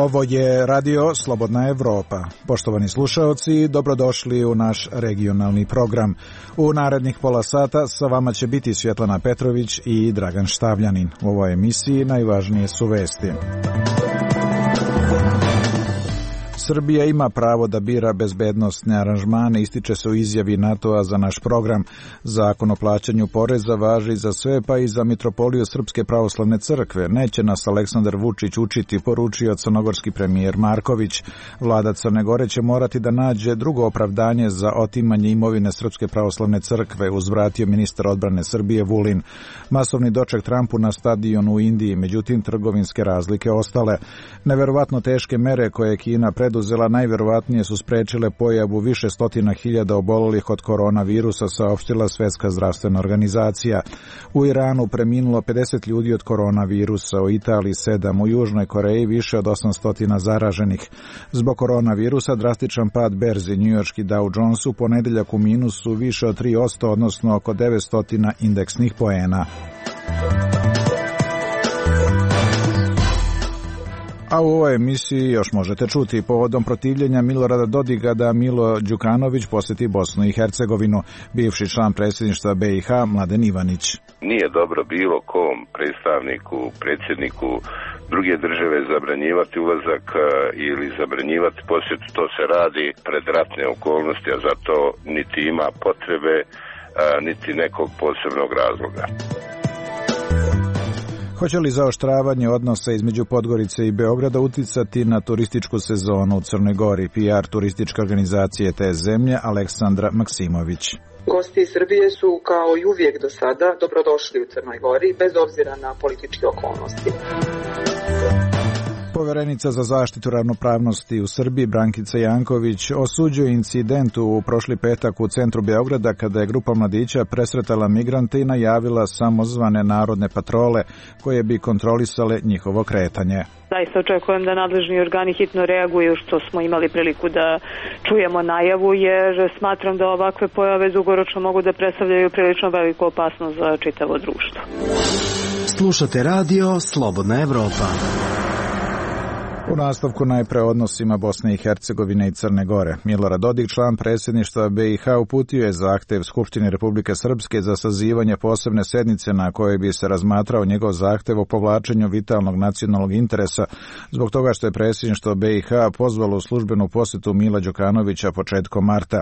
Ovo je radio Slobodna Evropa. Poštovani slušaoci, dobrodošli u naš regionalni program. U narednih pola sata sa vama će biti Svjetlana Petrović i Dragan Štavljanin. U ovoj emisiji najvažnije su vesti. Srbija ima pravo da bira bezbednosne aranžmane, ističe se u izjavi NATO-a za naš program. Zakon o plaćanju poreza važi za sve, pa i za Mitropoliju Srpske pravoslavne crkve. Neće nas Aleksandar Vučić učiti, poručio crnogorski premijer Marković. Vlada Crne Gore će morati da nađe drugo opravdanje za otimanje imovine Srpske pravoslavne crkve, uzvratio ministar odbrane Srbije Vulin. Masovni doček Trumpu na stadionu u Indiji, međutim trgovinske razlike ostale. Neverovatno teške mere koje je Kina preduzela najverovatnije su sprečile pojavu više stotina hiljada obolelih od koronavirusa, saopštila Svetska zdravstvena organizacija. U Iranu preminulo 50 ljudi od koronavirusa, u Italiji 7, u Južnoj Koreji više od 800 zaraženih. Zbog koronavirusa drastičan pad berzi, njujorški Dow Jones u ponedeljak u minusu više od 3%, odnosno oko 900 indeksnih poena. A u ovoj emisiji još možete čuti povodom protivljenja Milorada Dodiga da Milo Đukanović posjeti Bosnu i Hercegovinu, bivši član predsjedništva BiH Mladen Ivanić. Nije dobro bilo kom predstavniku, predsjedniku druge države zabranjivati ulazak ili zabranjivati posjet. To se radi pred ratne okolnosti, a zato niti ima potrebe, niti nekog posebnog razloga. Hoće li zaoštravanje odnosa između Podgorice i Beograda uticati na turističku sezonu u Crnoj Gori? PR turističke organizacije te zemlje Aleksandra Maksimović. Gosti iz Srbije su kao i uvijek do sada dobrodošli u Crnoj Gori bez obzira na političke okolnosti. Poverenica za zaštitu ravnopravnosti u Srbiji Brankica Janković osuđuje incident u prošli petak u centru Beograda kada je grupa mladića presretala migrante i najavila samozvane narodne patrole koje bi kontrolisale njihovo kretanje. Zaista očekujem da nadležni organi hitno reaguju, što smo imali priliku da čujemo najavu, jer smatram da ovakve pojave dugoročno mogu da predstavljaju prilično veliku opasnost za čitavo društvo. Slušate radio Slobodna Evropa. U nastavku najpre odnosima Bosne i Hercegovine i Crne Gore. Milorad Dodik, član predsjedništva BiH, uputio je zahtev Skupštini Republike Srpske za sazivanje posebne sednice na kojoj bi se razmatrao njegov zahtev o povlačenju vitalnog nacionalnog interesa zbog toga što je predsjedništvo BiH pozvalo u službenu posjetu Mila Đukanovića početkom marta.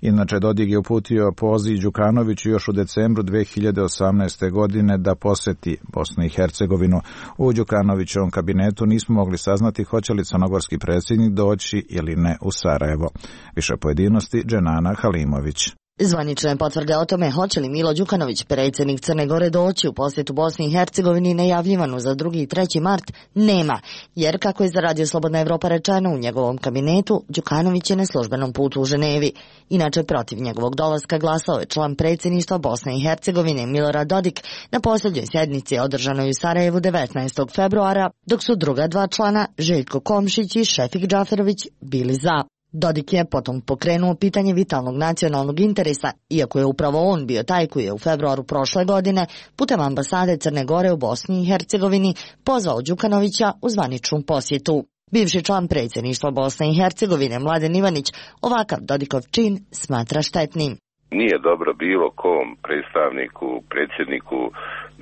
Inače, Dodik je uputio poziv Đukanoviću još u decembru 2018. godine da posjeti Bosnu i Hercegovinu. U Đukanovićevom kabinetu nismo mogli saznati hoće li crnogorski predsjednik doći ili ne u Sarajevo. Više pojedinosti Dženana Halimović. Zvanične potvrde o tome hoće li Milo Đukanović, predsjednik Crne Gore, doći u posjetu Bosni i Hercegovini najavljivanu za 2. i 3. mart nema, jer kako je za Radio Slobodna Evropa rečeno, u njegovom kabinetu Đukanović je na službenom putu u Ženevi. Inače, protiv njegovog dolaska glasao je član predsjedništva Bosne i Hercegovine Milorad Dodik na posljednjoj sjednici održanoj u Sarajevu 19. februara, dok su druga dva člana, Željko Komšić i Šefik Džaferović, bili za. Dodik je potom pokrenuo pitanje vitalnog nacionalnog interesa, iako je upravo on bio taj koji je u februaru prošle godine putem ambasade Crne Gore u Bosni i Hercegovini pozvao Đukanovića u zvaničnu posjetu. Bivši član predsjedništva Bosne i Hercegovine Mladen Ivanić ovakav Dodikov čin smatra štetnim. Nije dobro bilo kom predstavniku, predsjedniku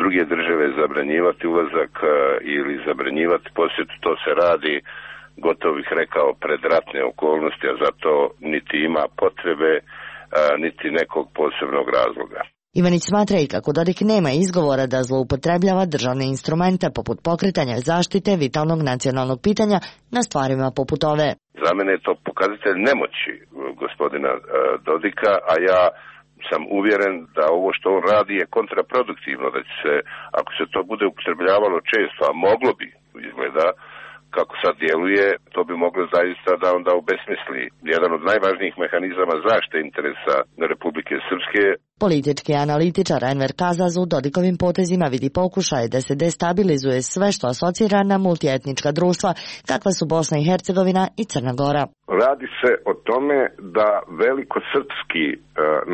druge države zabranjivati ulazak ili zabranjivati posjet. To se radi, gotovo bih rekao, pred ratne okolnosti, a zato niti ima potrebe, niti nekog posebnog razloga. Ivanić smatra i kako Dodik nema izgovora da zloupotrebljava državne instrumente poput pokretanja zaštite vitalnog nacionalnog pitanja na stvarima poput ove. Za mene je to pokazatelj nemoći gospodina Dodika, a ja sam uvjeren da ovo što on radi je kontraproduktivno, da će se, ako se to bude upotrebljavalo često, a moglo bi, izgleda, kako sad djeluje, to bi moglo zaista da onda obesmisli jedan od najvažnijih mehanizama zaštite interesa Republike Srpske. Politički analitičar Enver Kazaz u Dodikovim potezima vidi pokušaj da se destabilizuje sve što asocira na multietnička društva kakva su Bosna i Hercegovina i Crna Gora. Radi se o tome da velikosrpski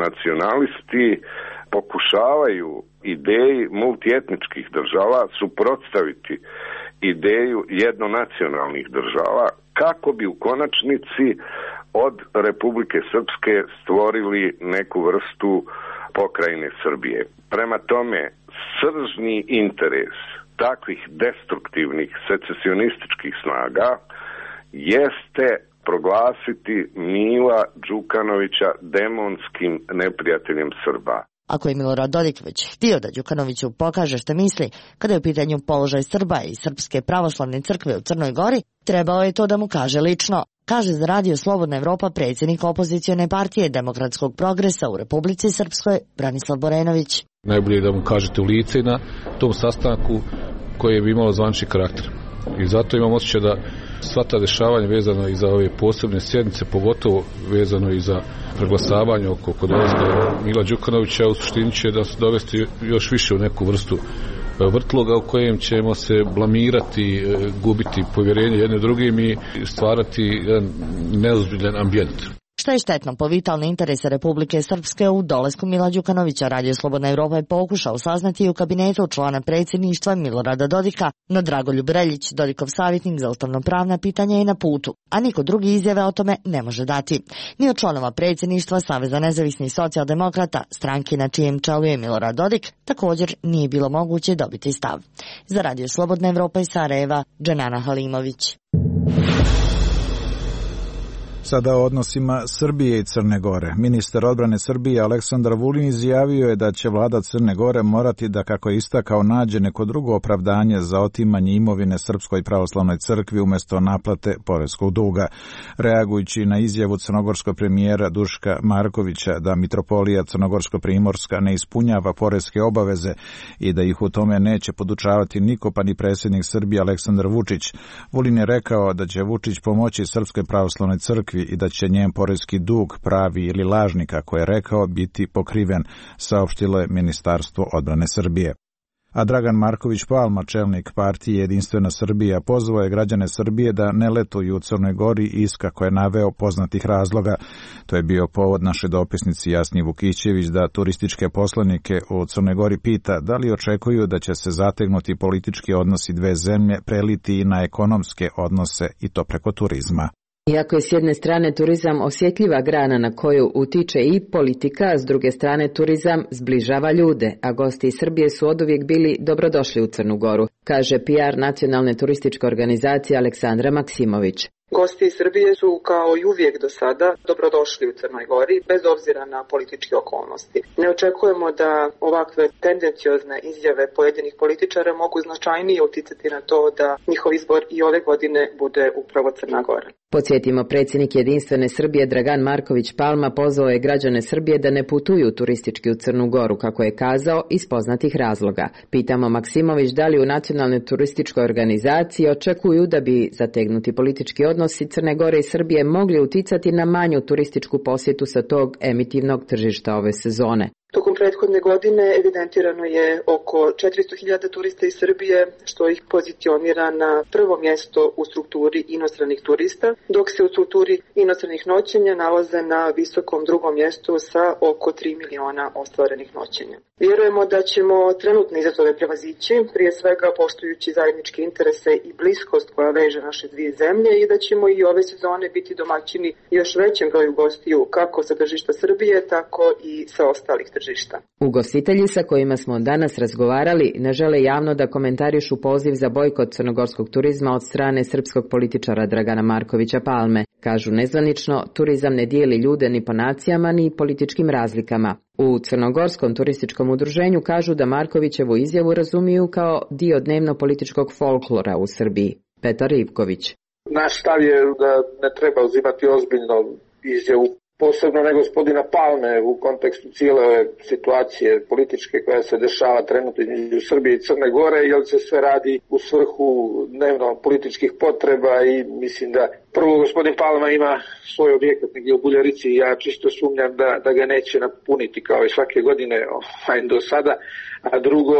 nacionalisti pokušavaju ideji multietničkih država suprotstaviti ideju jednonacionalnih država kako bi u konačnici od Republike Srpske stvorili neku vrstu pokrajine Srbije. Prema tome, sržni interes takvih destruktivnih secesionističkih snaga jeste proglasiti Mila Đukanovića demonskim neprijateljem Srba. Ako je Milorad Dodik već htio da Đukanoviću pokaže što misli kada je u pitanju položaj Srba i Srpske pravoslavne crkve u Crnoj Gori, trebao je to da mu kaže lično, kaže za Radio Slobodna Evropa predsjednik opozicione partije Demokratskog progresa u Republici Srpskoj Branislav Borenović. Najbolje je da mu kažete u lice na tom sastanku koje bi imalo zvanični karakter. I zato imam osjećaj da sva ta dešavanja vezano i za ove posebne sjednice, pogotovo vezano i za preglasavanje oko dolaska Mila Đukanovića, u suštini će da se dovesti još više u neku vrstu vrtloga u kojem ćemo se blamirati, gubiti povjerenje jedne drugim i stvarati jedan neozbiljan ambijent. Što je štetno po vitalne interese Republike Srpske u dolasku Mila Đukanovića, Radio Slobodna Evropa je pokušao saznati u kabinetu člana predsjedništva Milorada Dodika, no Dragoljub Reljić, Dodikov savjetnik za ustavno-pravna pitanja, je na putu, a niko drugi izjave o tome ne može dati. Ni od članova predsjedništva Saveza nezavisnih socijaldemokrata, stranke na čijem čelu je Milorad Dodik, također nije bilo moguće dobiti stav. Za Radio Slobodna Evropa iz Sarajeva, Dženana Halimović. Sada o odnosima Srbije i Crne Gore. Ministar odbrane Srbije Aleksandar Vulin izjavio je da će vlada Crne Gore morati da, kako je istakao, nađe neko drugo opravdanje za otimanje imovine Srpskoj pravoslavnoj crkvi umjesto naplate poreskog duga. Reagujući na izjavu crnogorskog premijera Duška Markovića da mitropolija Crnogorsko-Primorska ne ispunjava poreske obaveze i da ih u tome neće podučavati niko, pa ni predsjednik Srbije Aleksandar Vučić, Vulin je rekao da će Vučić pomoći Srpskoj pravoslavnoj crkvi i da će njen poreski dug, pravi ili lažni, kako je rekao, biti pokriven, saopštilo je Ministarstvo odbrane Srbije. A Dragan Marković Palma, čelnik partije Jedinstvena Srbija, pozvao je građane Srbije da ne letuju u Crnoj Gori iz, kako je naveo, poznatih razloga. To je bio povod naše dopisnici Jasni Vukićević da turističke poslanike u Crnoj Gori pita da li očekuju da će se zategnuti politički odnosi dve zemlje preliti i na ekonomske odnose, i to preko turizma. Iako je s jedne strane turizam osjetljiva grana na koju utiče i politika, s druge strane turizam zbližava ljude, a gosti iz Srbije su oduvijek bili dobrodošli u Crnu Goru, kaže PR nacionalne turističke organizacije Aleksandra Maksimović. Gosti iz Srbije su kao i uvijek do sada dobrodošli u Crnoj Gori, bez obzira na političke okolnosti. Ne očekujemo da ovakve tendenciozne izjave pojedinih političara mogu značajnije uticati na to da njihov izbor i ove godine bude upravo Crna Gora. Podsjetimo, predsjednik Jedinstvene Srbije Dragan Marković Palma pozvao je građane Srbije da ne putuju turistički u Crnu Goru, kako je kazao, iz poznatih razloga. Pitamo Maksimović da li u nacionalnoj turističkoj organizaciji očekuju da bi zategnuti politički odnosi Crne Gore i Srbije mogli uticati na manju turističku posjetu sa tog emitivnog tržišta ove sezone. Tokom prethodne godine evidentirano je oko 400.000 turista iz Srbije, što ih pozicionira na prvo mjesto u strukturi inostranih turista, dok se u strukturi inostranih noćenja nalaze na visokom drugom mjestu sa oko 3 miliona ostvarenih noćenja. Vjerujemo da ćemo trenutne izazove prevazići, prije svega poštujući zajedničke interese i bliskost koja veže naše dvije zemlje, i da ćemo i ove sezone biti domaćini još većem broju gostiju kako sa tržišta Srbije, tako i sa ostalih tržišta. Ugostitelji sa kojima smo danas razgovarali ne žele javno da komentarišu poziv za bojkot crnogorskog turizma od strane srpskog političara Dragana Markovića Palme. Kažu nezvanično, turizam ne dijeli ljude ni po nacijama ni političkim razlikama. U Crnogorskom turističkom udruženju kažu da Markovićevu izjavu razumiju kao dio dnevno-političkog folklora u Srbiji. Petar Ivković. Naš stav je da ne treba uzimati ozbiljno izjavu, posebno ne gospodina Palme, u kontekstu cijele ove situacije političke koja se dešava trenutno između Srbije i Crne Gore, jer se sve radi u svrhu dnevno političkih potreba i mislim da prvo gospodin Palma ima svoj objekat negdje u Buljarici i ja čisto sumnjam da ga neće napuniti kao i svake godine do sada, a drugo,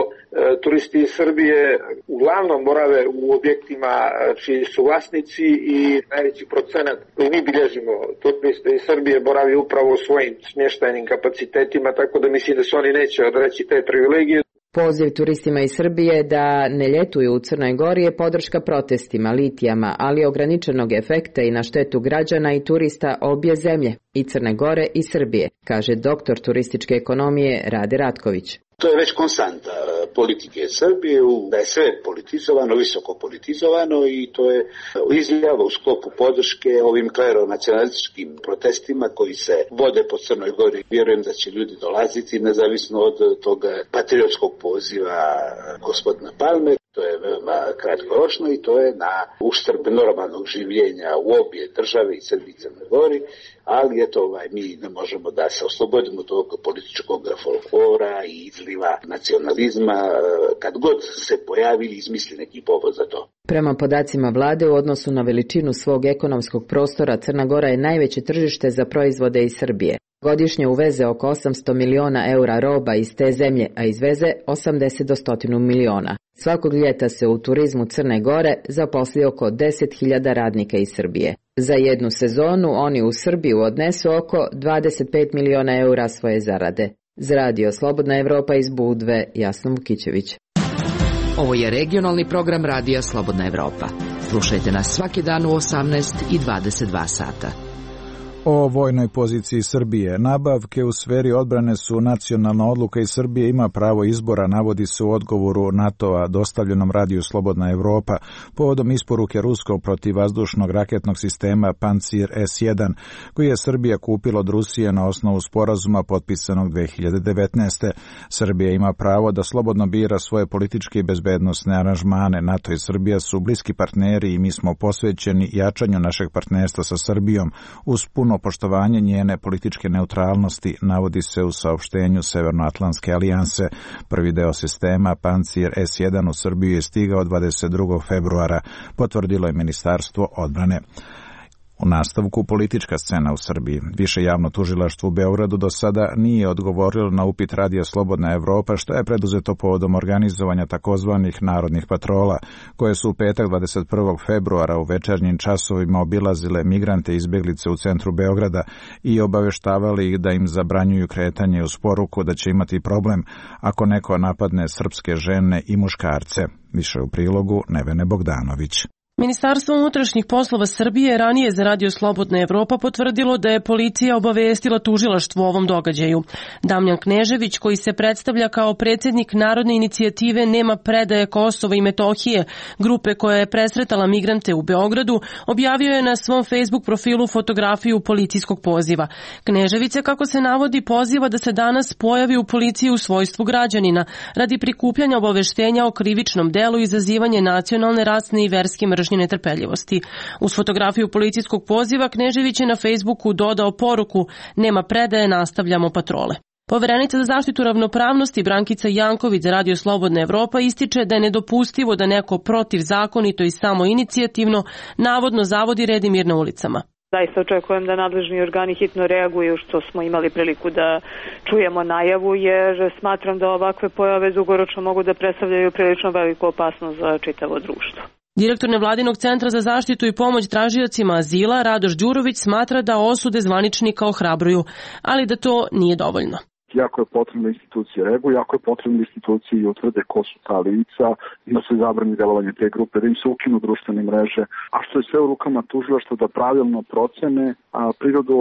turisti iz Srbije uglavnom borave u objektima čiji su vlasnici i najveći procenat koji mi bilježimo turiste iz Srbije boravi upravo u svojim smještajnim kapacitetima, tako da mislim da se oni neće odreći te privilegije. Poziv turistima iz Srbije da ne ljetuju u Crnoj Gori je podrška protestima, litijama, ali ograničenog efekta i na štetu građana i turista obje zemlje, i Crne Gore i Srbije, kaže doktor turističke ekonomije Rade Ratković. To je već konstanta politike Srbije, da je sve politizovano, visoko politizovano i to je izjava u sklopu podrške ovim kleronacionalističkim protestima koji se vode po Crnoj Gori. Vjerujem da će ljudi dolaziti nezavisno od toga patriotskog poziva gospodina Palme. To je veoma kratkoročno i to je na uštrb normalnog življenja u obje države i Srbiji i Crnoj Gori, ali eto, mi ne možemo da se oslobodimo tog političkog folklora i izliva nacionalizma kad god se pojavi ili izmisli neki povod za to. Prema podacima vlade, u odnosu na veličinu svog ekonomskog prostora, Crna Gora je najveće tržište za proizvode iz Srbije. Godišnje uveze oko 800 miliona eura roba iz te zemlje, a izveze 80 do 100 miliona. Svakog ljeta se u turizmu Crne Gore zaposli oko 10.000 radnika iz Srbije. Za jednu sezonu oni u Srbiju odnesu oko 25 miliona eura svoje zarade. Za Radio Slobodna Evropa iz Budve, Jasna Vukićević. Ovo je regionalni program Radija Slobodna Evropa. Slušajte nas svaki dan u 18 i 22 sata. O vojnoj poziciji Srbije. Nabavke u sferi odbrane su nacionalna odluka i Srbije ima pravo izbora, navodi se u odgovoru NATO-a dostavljenom Radiju Slobodna Evropa povodom isporuke ruskog protivvazdušnog raketnog sistema Pancir S-1, koji je Srbija kupila od Rusije na osnovu sporazuma potpisanog 2019. Srbija ima pravo da slobodno bira svoje političke i bezbednosne aranžmane. NATO i Srbija su bliski partneri i mi smo posvećeni jačanju našeg partnerstva sa Srbijom uz puno poštovanje njene političke neutralnosti, navodi se u saopštenju Severnoatlantske alijanse. Prvi deo sistema Pancir S-1 u Srbiju je stigao 22. februara, potvrdilo je Ministarstvo odbrane. U nastavku politička scena u Srbiji. Više javno tužilaštvo u Beogradu do sada nije odgovorilo na upit Radija Slobodna Evropa što je preduzeto povodom organizovanja takozvanih narodnih patrola, koje su u petak 21. februara u večernjim časovima obilazile migrante i izbjeglice u centru Beograda i obaveštavali ih da im zabranjuju kretanje uz poruku da će imati problem ako neko napadne srpske žene i muškarce. Više u prilogu Nevene Bogdanović. Ministarstvo unutrašnjih poslova Srbije ranije za Radio Slobodna Evropa potvrdilo da je policija obavestila tužilaštvo o ovom događaju. Damjan Knežević, koji se predstavlja kao predsjednik Narodne inicijative Nema predaje Kosova i Metohije, grupe koja je presretala migrante u Beogradu, objavio je na svom Facebook profilu fotografiju policijskog poziva. Knežević se, kako se navodi, poziva da se danas pojavi u policiji u svojstvu građanina radi prikupljanja obaveštenja o krivičnom delu i izazivanje nacionalne, rasne i verske mržnje netrpeljivosti. Uz fotografiju policijskog poziva Knežević je na Facebooku dodao poruku: nema predaje, nastavljamo patrole. Poverenica za zaštitu ravnopravnosti Brankica Janković za Radio Slobodna Evropa ističe da je nedopustivo da neko protivzakonito i samoinicijativno navodno zavodi red i mir na ulicama. Zaista očekujem da nadležni organi hitno reaguju, što smo imali priliku da čujemo najavu, jer smatram da ovakve pojave dugoročno mogu da predstavljaju prilično veliku opasnost za čitavo društvo. Direktor Nevladinog centra za zaštitu i pomoć tražiocima azila Radoš Đurović smatra da osude zvaničnika ohrabruju, ali da to nije dovoljno. Jako je potrebno institucije reaguju, jako je potrebno institucije i utvrde ko su ta lica, da se zabrani delovanje te grupe, da im se ukinu društvene mreže, a što je sve u rukama tužilaštva da pravilno procene prirodu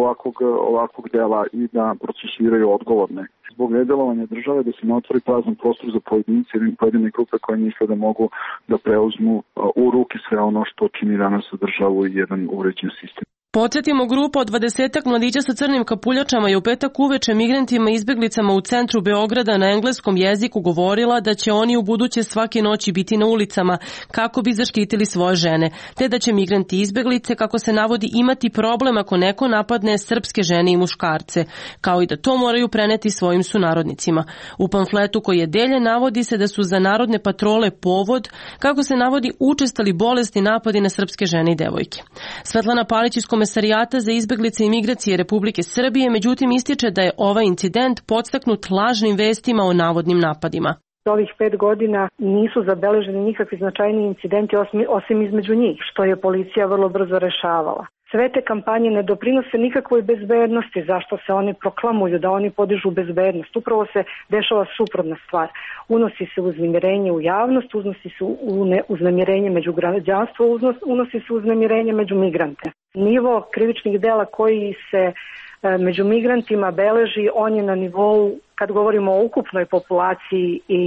ovakvog dela i da procesuiraju odgovorne. Zbog nedelovanja države da se ne otvori prazan prostor za pojedince ili pojedine grupe koje misle da mogu da preuzmu u ruke sve ono što čini danas državu i jedan uređen sistem. Podsjetimo, grupa od 20-ak mladića sa crnim kapuljačama je u petak uveče migrantima i izbeglicama u centru Beograda na engleskom jeziku govorila da će oni u buduće svake noći biti na ulicama kako bi zaštitili svoje žene, te da će migranti i izbeglice, kako se navodi, imati problem ako neko napadne srpske žene i muškarce, kao i da to moraju preneti svojim sunarodnicima. U pamfletu koji je deljen navodi se da su za narodne patrole povod, kako se navodi, učestali bolesti napadi na srpske žene i devojke. Svetlana Palić iz Komesarijata za izbeglice i migracije Republike Srbije međutim ističe da je ovaj incident podstaknut lažnim vestima o navodnim napadima. Ovih 5 godina nisu zabeleženi nikakvi značajni incidenti osim između njih, što je policija vrlo brzo rešavala. sve te kampanje ne doprinose nikakvoj bezbednosti. Zašto se oni proklamuju da oni podižu bezbednost? Upravo se dešava suprotna stvar. Unosi se uznemirenje u javnost, unosi se uznemirenje među građanstvo, unosi se uznemirenje među migrante. Nivo krivičnih dela koji se među migrantima beleži, on je na nivou, kad govorimo o ukupnoj populaciji i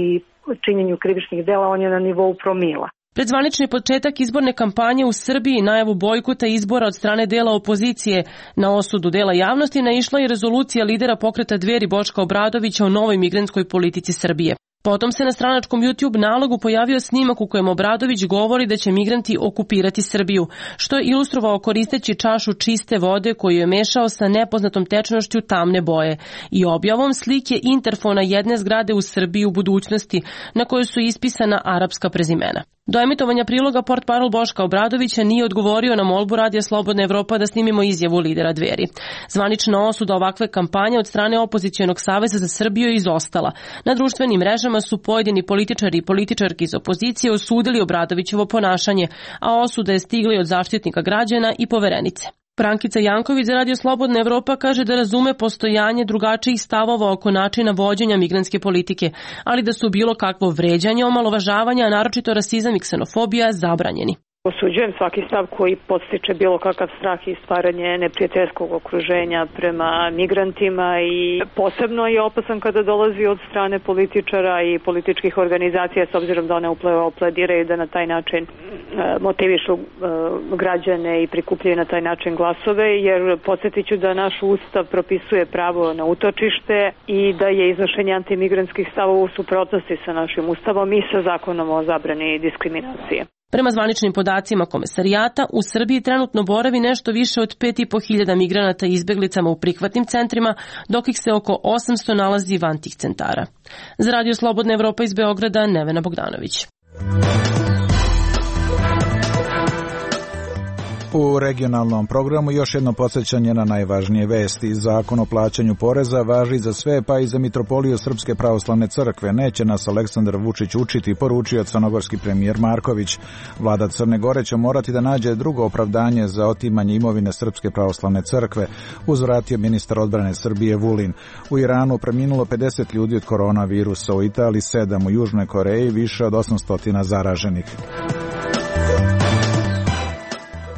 činjenju krivičnih dela, on je na nivou promila. Pred zvanični početak izborne kampanje u Srbiji i najavu bojkota izbora od strane dela opozicije na osudu dela javnosti naišla je rezolucija lidera pokreta Dveri Boška Obradovića o novoj migrantskoj politici Srbije. Potom se na stranačkom YouTube nalogu pojavio snimak u kojem Obradović govori da će migranti okupirati Srbiju, što je ilustrovao koristeći čašu čiste vode koju je mešao sa nepoznatom tečnošću tamne boje i objavom slike interfona jedne zgrade u Srbiji u budućnosti na kojoj su ispisana arapska prezimena. Do emitovanja priloga portparol Boška Obradovića nije odgovorio na molbu Radija Slobodna Evropa da snimimo izjavu lidera Dveri. Zvanična osuda ovakve kampanje od strane Opozicionog saveza za Srbiju je izostala. Na društvenim mrežama su pojedini političari i političarke iz opozicije osudili Obradovićevo ponašanje, a osuda je stigla od Zaštitnika građana i Poverenice. Brankica Janković za Radio Slobodna Evropa kaže da razume postojanje drugačijih stavova oko načina vođenja migrantske politike, ali da su bilo kakvo vređanje, omalovažavanje, a naročito rasizam i ksenofobija zabranjeni. Osuđujem svaki stav koji podstiče bilo kakav strah i stvaranje neprijateljskog okruženja prema migrantima i posebno je opasan kada dolazi od strane političara i političkih organizacija s obzirom da one plediraju da na taj način motivišu građane i prikupljaju na taj način glasove, jer podsjetit ću da naš ustav propisuje pravo na utočište i da je iznošenje antimigrantskih stavova u suprotnosti sa našim ustavom i sa zakonom o zabrani diskriminacije. Prema zvaničnim podacima Komesarijata, u Srbiji trenutno boravi nešto više od 5.500 migranata i izbeglicama u prihvatnim centrima, dok ih se oko 800 nalazi van tih centara. Za Radio Slobodna Evropa iz Beograda, Nevena Bogdanović. U regionalnom programu još jedno podsjećanje na najvažnije vesti. Zakon o plaćanju poreza važi za sve, pa i za Mitropoliju Srpske pravoslavne crkve. Neće nas Aleksandar Vučić učiti, poručio crnogorski premijer Marković. Vlada Crne Gore će morati da nađe drugo opravdanje za otimanje imovine Srpske pravoslavne crkve, uzvratio ministar odbrane Srbije Vulin. U Iranu preminulo 50 ljudi od koronavirusa, u Italiji 7, u Južnoj Koreji više od 800 zaraženih.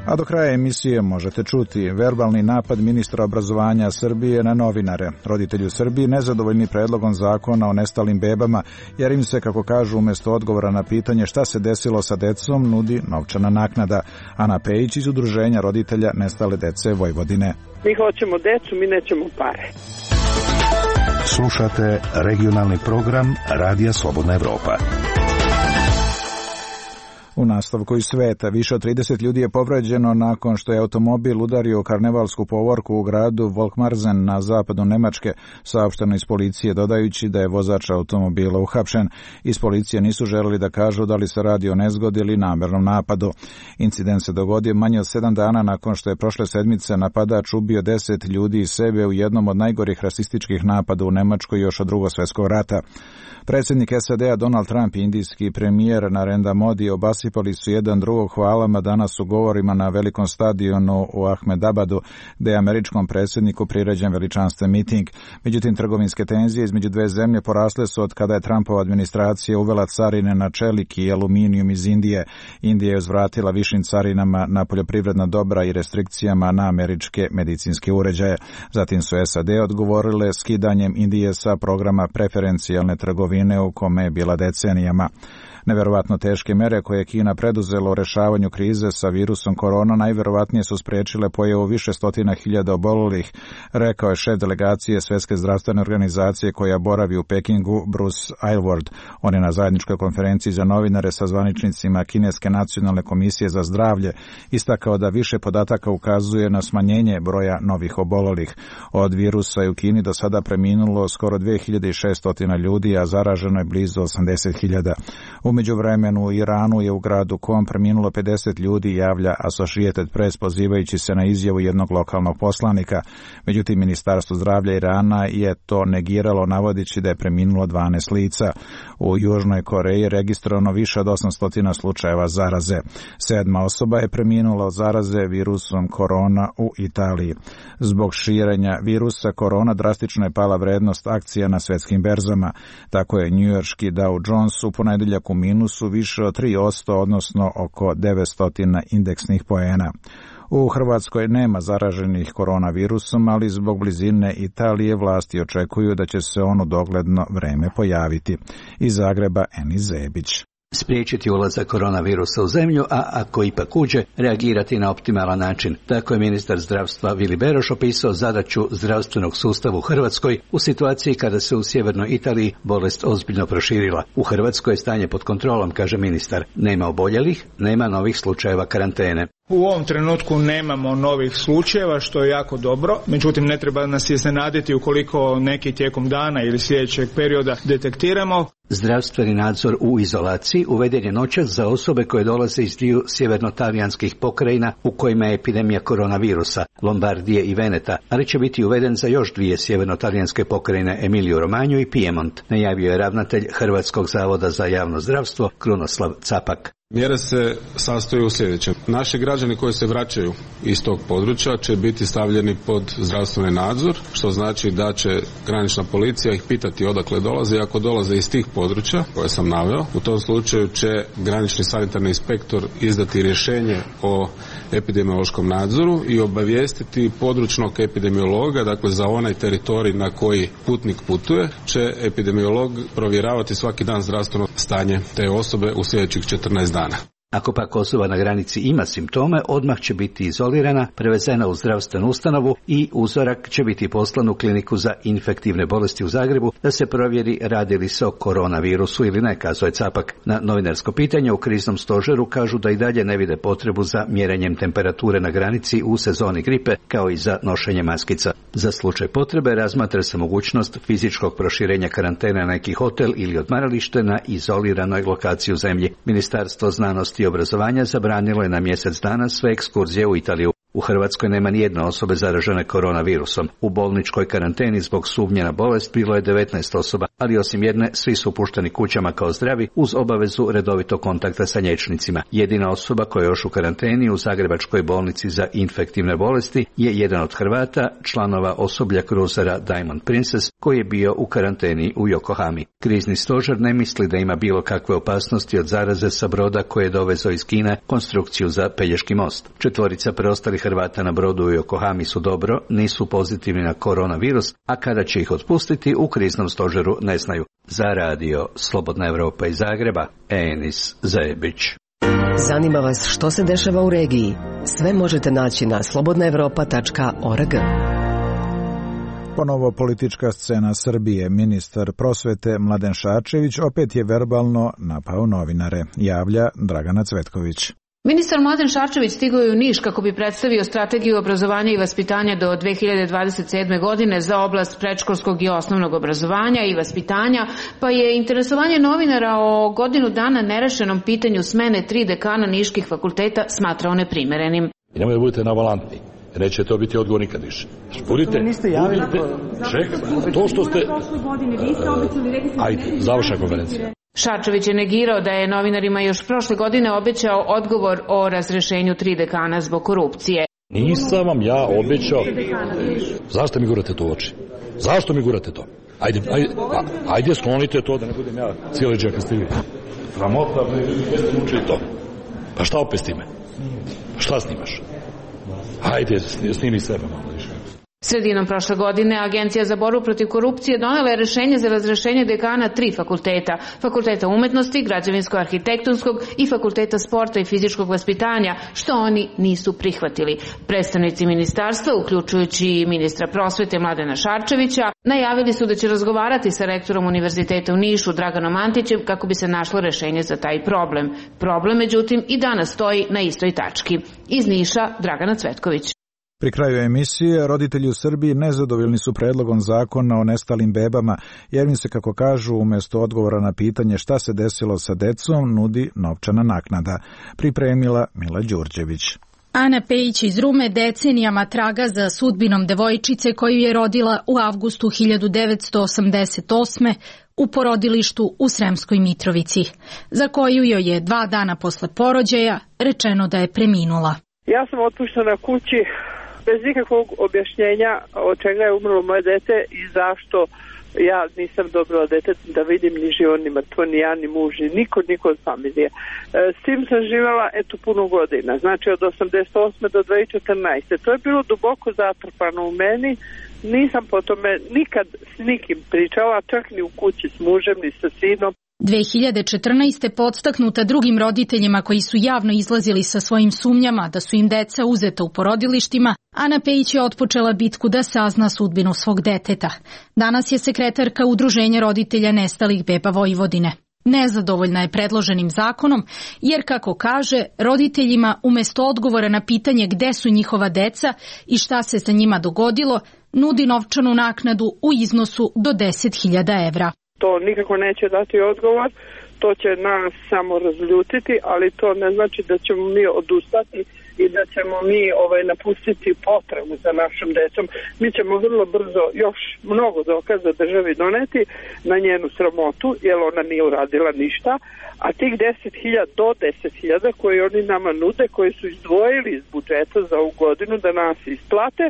A do kraja emisije možete čuti verbalni napad ministra obrazovanja Srbije na novinare. Roditelji u Srbiji nezadovoljni predlogom zakona o nestalim bebama, jer im se, kako kažu, umjesto odgovora na pitanje šta se desilo sa decom, nudi novčana naknada. Ana Pejić iz Udruženja roditelja nestale dece Vojvodine. Mi hoćemo decu, mi nećemo pare. Slušate regionalni program Radija Slobodna Evropa. U nastavku iz sveta, više od 30 ljudi je povređeno nakon što je automobil udario karnevalsku povorku u gradu Volkmarzen na zapadu Nemačke, saopšteno iz policije, dodajući da je vozač automobila uhapšen. Iz policije nisu želeli da kažu da li se radi o nezgodi ili namernom napadu. Incident se dogodio manje od 7 dana nakon što je prošle sedmice napadač ubio 10 ljudi i sebe u jednom od najgorih rasističkih napada u Nemačkoj još od Drugog svjetskog rata. Predsjednik SAD-a Donald Trump i indijski premijer Narendra Modi obasipali su jedan drugog hvalama danas u govorima na velikom stadionu u Ahmedabadu, gdje je američkom predsjedniku priređen veličanstven miting. Međutim, trgovinske tenzije između dve zemlje porasle su od kada je Trumpova administracija uvela carine na čelik i aluminijum iz Indije. Indija je uzvratila višim carinama na poljoprivredna dobra i restrikcijama na američke medicinske uređaje. Zatim su SAD odgovorile skidanjem Indije sa programa preferencijalne trgovine u kome je bila decenijama. Neverovatno teške mere koje je Kina preduzela u rešavanju krize sa virusom korona najverovatnije su spriječile pojavu više stotina hiljada obolelih, rekao je šef delegacije Svjetske zdravstvene organizacije koja boravi u Pekingu, Bruce Aylward. On je na zajedničkoj konferenciji za novinare sa zvaničnicima Kineske nacionalne komisije za zdravlje istakao da više podataka ukazuje na smanjenje broja novih obolelih. Od virusa je u Kini do sada preminulo skoro 2600 ljudi, a zaraženo je blizu 80.000. U međuvremenu u Iranu je u gradu Qom preminulo 50 ljudi, javlja Associated Press pozivajući se na izjavu jednog lokalnog poslanika. Međutim, Ministarstvo zdravlja Irana je to negiralo navodeći da je preminulo 12 lica. U Južnoj Koreji je registrovano više od 800 slučajeva zaraze. 7. osoba je preminula od zaraze virusom korona u Italiji. Zbog širenja virusa korona drastično je pala vrednost akcija na svetskim berzama. Tako je njujorški Dow Jones u ponedeljak u minusu više od 3%, odnosno oko 900 indeksnih poena. U Hrvatskoj nema zaraženih koronavirusom, ali zbog blizine Italije vlasti očekuju da će se on u dogledno vreme pojaviti. Iz Zagreba Enis Zebić. Spriječiti ulazak koronavirusa u zemlju, a ako ipak uđe, reagirati na optimalan način. Tako je ministar zdravstva Vili Beroš opisao zadaću zdravstvenog sustava u Hrvatskoj u situaciji kada se u sjevernoj Italiji bolest ozbiljno proširila. U Hrvatskoj je stanje pod kontrolom, kaže ministar. Nema oboljelih, nema novih slučajeva karantene. U ovom trenutku nemamo novih slučajeva, što je jako dobro. Međutim, ne treba nas iznenaditi ukoliko neki tijekom dana ili sljedećeg perioda detektiramo. Zdravstveni nadzor u izolaciji uveden je noćas za osobe koje dolaze iz dviju sjeverno-talijanskih pokrajina u kojima je epidemija koronavirusa, Lombardije i Veneta, ali će biti uveden za još dvije sjeverno-talijanske pokrajine, Emiliju Romanju i Piemont, najavio je ravnatelj Hrvatskog zavoda za javno zdravstvo Krunoslav Capak. Mjere se sastoje u sljedećem. Naši građani koji se vraćaju iz tog područja će biti stavljeni pod zdravstveni nadzor, što znači da će granična policija ih pitati odakle dolaze i ako dolaze iz tih područja koje sam naveo, u tom slučaju će granični sanitarni inspektor izdati rješenje o epidemiološkom nadzoru i obavijestiti područnog epidemiologa, dakle za onaj teritorij na koji putnik putuje, će epidemiolog provjeravati svaki dan zdravstveno stanje te osobe u sljedećih 14 dana. Ako pak osoba na granici ima simptome, odmah će biti izolirana, prevezena u zdravstvenu ustanovu i uzorak će biti poslan u kliniku za infektivne bolesti u Zagrebu da se provjeri radi li se o koronavirusu ili ne, kazao je Capak. Na novinarsko pitanje u kriznom stožeru kažu da i dalje ne vide potrebu za mjerenjem temperature na granici u sezoni gripe, kao i za nošenje maskica. Za slučaj potrebe razmatra se mogućnost fizičkog proširenja karantene na neki hotel ili odmaralište na izoliranoj lokaciji u zemlji. Ministarstvo znanosti i obrazovanja zabranilo je na mjesec dana sve ekskurzije u Italiju. U Hrvatskoj nema nijedne osobe zaražene koronavirusom. U bolničkoj karanteni zbog sumnje na bolest bilo je 19 osoba, ali osim jedne svi su pušteni kućama kao zdravi uz obavezu redovitog kontakta sa liječnicima. Jedina osoba koja je još u karanteni u Zagrebačkoj bolnici za infektivne bolesti je jedan od Hrvata, članova osoblja kruzera Diamond Princess, koji je bio u karanteni u Yokohami. Krizni stožer ne misli da ima bilo kakve opasnosti od zaraze sa broda koje je dovezao iz Kine konstrukciju za Pelješki most. 4 preostalih Hrvata na brodu u Yokohami su dobro, nisu pozitivni na koronavirus, a kada će ih otpustiti u kriznom stožeru ne znaju. Za radio Slobodna Evropa iz Zagreba, Enis Zebić. Zanima vas što se dešava u regiji? Sve možete naći na slobodnaevropa.org. Ponovo politička scena Srbije. Ministar prosvete Mladen Šarčević opet je verbalno napao novinare, javlja Dragana Cvetković. Ministar Mladen Šarčević stigao je u Niš kako bi predstavio strategiju obrazovanja i vaspitanja do 2027. godine za oblast predškolskog i osnovnog obrazovanja i vaspitanja, pa je interesovanje novinara o godinu dana nerešenom pitanju smene 3 dekana niških fakulteta smatrao neprimerenim. I nemoj da budete navalantni. Neće to biti odgovor nikad više. Budite, čekaj, to što ste... Ajde, završna konferencija. Šarčević je negirao da je novinarima još prošle godine obećao odgovor o razrešenju 3 dekana zbog korupcije. Nisam vam ja obećao. Zašto mi gurate to u oči? Zašto mi gurate to? Ajde sklonite to da ne budem ja cijeli džak ste vi. Sramota, jeste učili to. Pa šta opet s time? Šta snimaš? Ajde, snimi sebe malo više. Sredinom prošle godine Agencija za borbu protiv korupcije donela je rješenje za razrešenje dekana 3 fakulteta. Fakulteta umetnosti, građevinsko-arhitektonskog i fakulteta sporta i fizičkog vaspitanja, što oni nisu prihvatili. Predstavnici ministarstva, uključujući i ministra prosvete Mladena Šarčevića, najavili su da će razgovarati sa rektorom Univerziteta u Nišu Draganom Antićem kako bi se našlo rješenje za taj problem. Problem, međutim, i danas stoji na istoj tački. Iz Niša, Dragana Cvetković. Pri kraju emisije, roditelji u Srbiji nezadovoljni su predlogom zakona o nestalim bebama, jer im se, kako kažu, umjesto odgovora na pitanje šta se desilo sa decom, nudi novčana naknada. Pripremila Mila Đurđević. Ana Pejić iz Rume decenijama traga za sudbinom devojčice koju je rodila u avgustu 1988. u porodilištu u Sremskoj Mitrovici, za koju joj je 2 dana posle porođaja rečeno da je preminula. Ja sam otpuštena kući bez nikakvog objašnjenja od čega je umrlo moje dete i zašto ja nisam dobila dete da vidim ni živo, ni mrtvo, ni ja, ni muž, ni niko od familije. S tim sam živjela puno godina, znači od 88. do 2014. To je bilo duboko zatrpano u meni, nisam po tome nikad s nikim pričala, čak ni u kući s mužem, ni sa sinom. 2014. podstaknuta drugim roditeljima koji su javno izlazili sa svojim sumnjama da su im deca uzeta u porodilištima, Ana Pejić je otpočela bitku da sazna sudbinu svog deteta. Danas je sekretarka Udruženja roditelja nestalih beba Vojvodine. Nezadovoljna je predloženim zakonom, jer, kako kaže, roditeljima umjesto odgovora na pitanje gde su njihova deca i šta se sa njima dogodilo, nudi novčanu naknadu u iznosu do 10.000 evra. To nikako neće dati odgovor, to će nas samo razljutiti, ali to ne znači da ćemo mi odustati i da ćemo mi napustiti potrebu za našom decom. Mi ćemo vrlo brzo još mnogo dokaza državi doneti na njenu sramotu, jer ona nije uradila ništa, a tih 10.000 do 10.000 koje oni nama nude, koji su izdvojili iz budžeta za ovu godinu da nas isplate,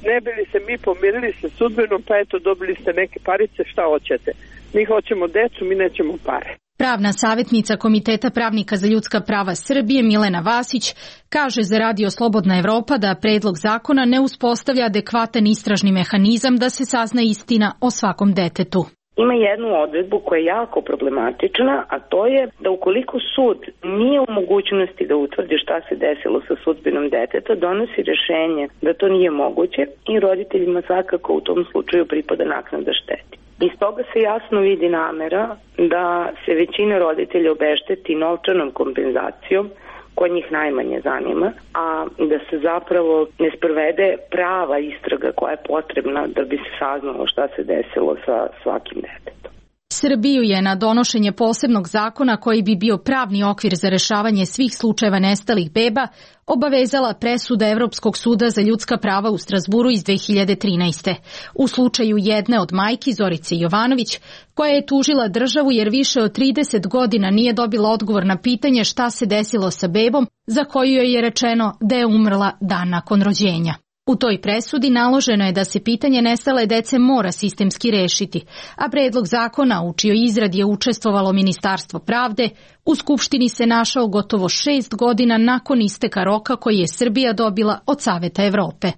ne bi li se mi pomirili sa sudbinom, pa eto dobili ste neke parice, šta hoćete. Mi hoćemo decu, mi nećemo pare. Pravna savjetnica Komiteta pravnika za ljudska prava Srbije Milena Vasić kaže za Radio Slobodna Evropa da predlog zakona ne uspostavlja adekvatan istražni mehanizam da se sazna istina o svakom detetu. Ima jednu odredbu koja je jako problematična, a to je da ukoliko sud nije u mogućnosti da utvrdi šta se desilo sa sudbinom deteta, donosi rješenje da to nije moguće i roditeljima svakako u tom slučaju pripada naknada štete. Iz toga se jasno vidi namera da se većina roditelja obešteti novčanom kompenzacijom, koja njih najmanje zanima, a da se zapravo ne sprovede prava istraga koja je potrebna da bi se saznalo šta se desilo sa svakim detetom. Srbiju je na donošenje posebnog zakona koji bi bio pravni okvir za rešavanje svih slučajeva nestalih beba obavezala presuda Evropskog suda za ljudska prava u Strazburu iz 2013. U slučaju jedne od majki, Zorice Jovanović, koja je tužila državu jer više od 30 godina nije dobila odgovor na pitanje šta se desilo sa bebom, za koju joj je rečeno da je umrla dan nakon rođenja. U toj presudi naloženo je da se pitanje nestale dece mora sistemski rešiti, a predlog zakona u čijoj izradi je učestvovalo Ministarstvo pravde u Skupštini se našao gotovo 6 godina nakon isteka roka koji je Srbija dobila od Saveta Evrope.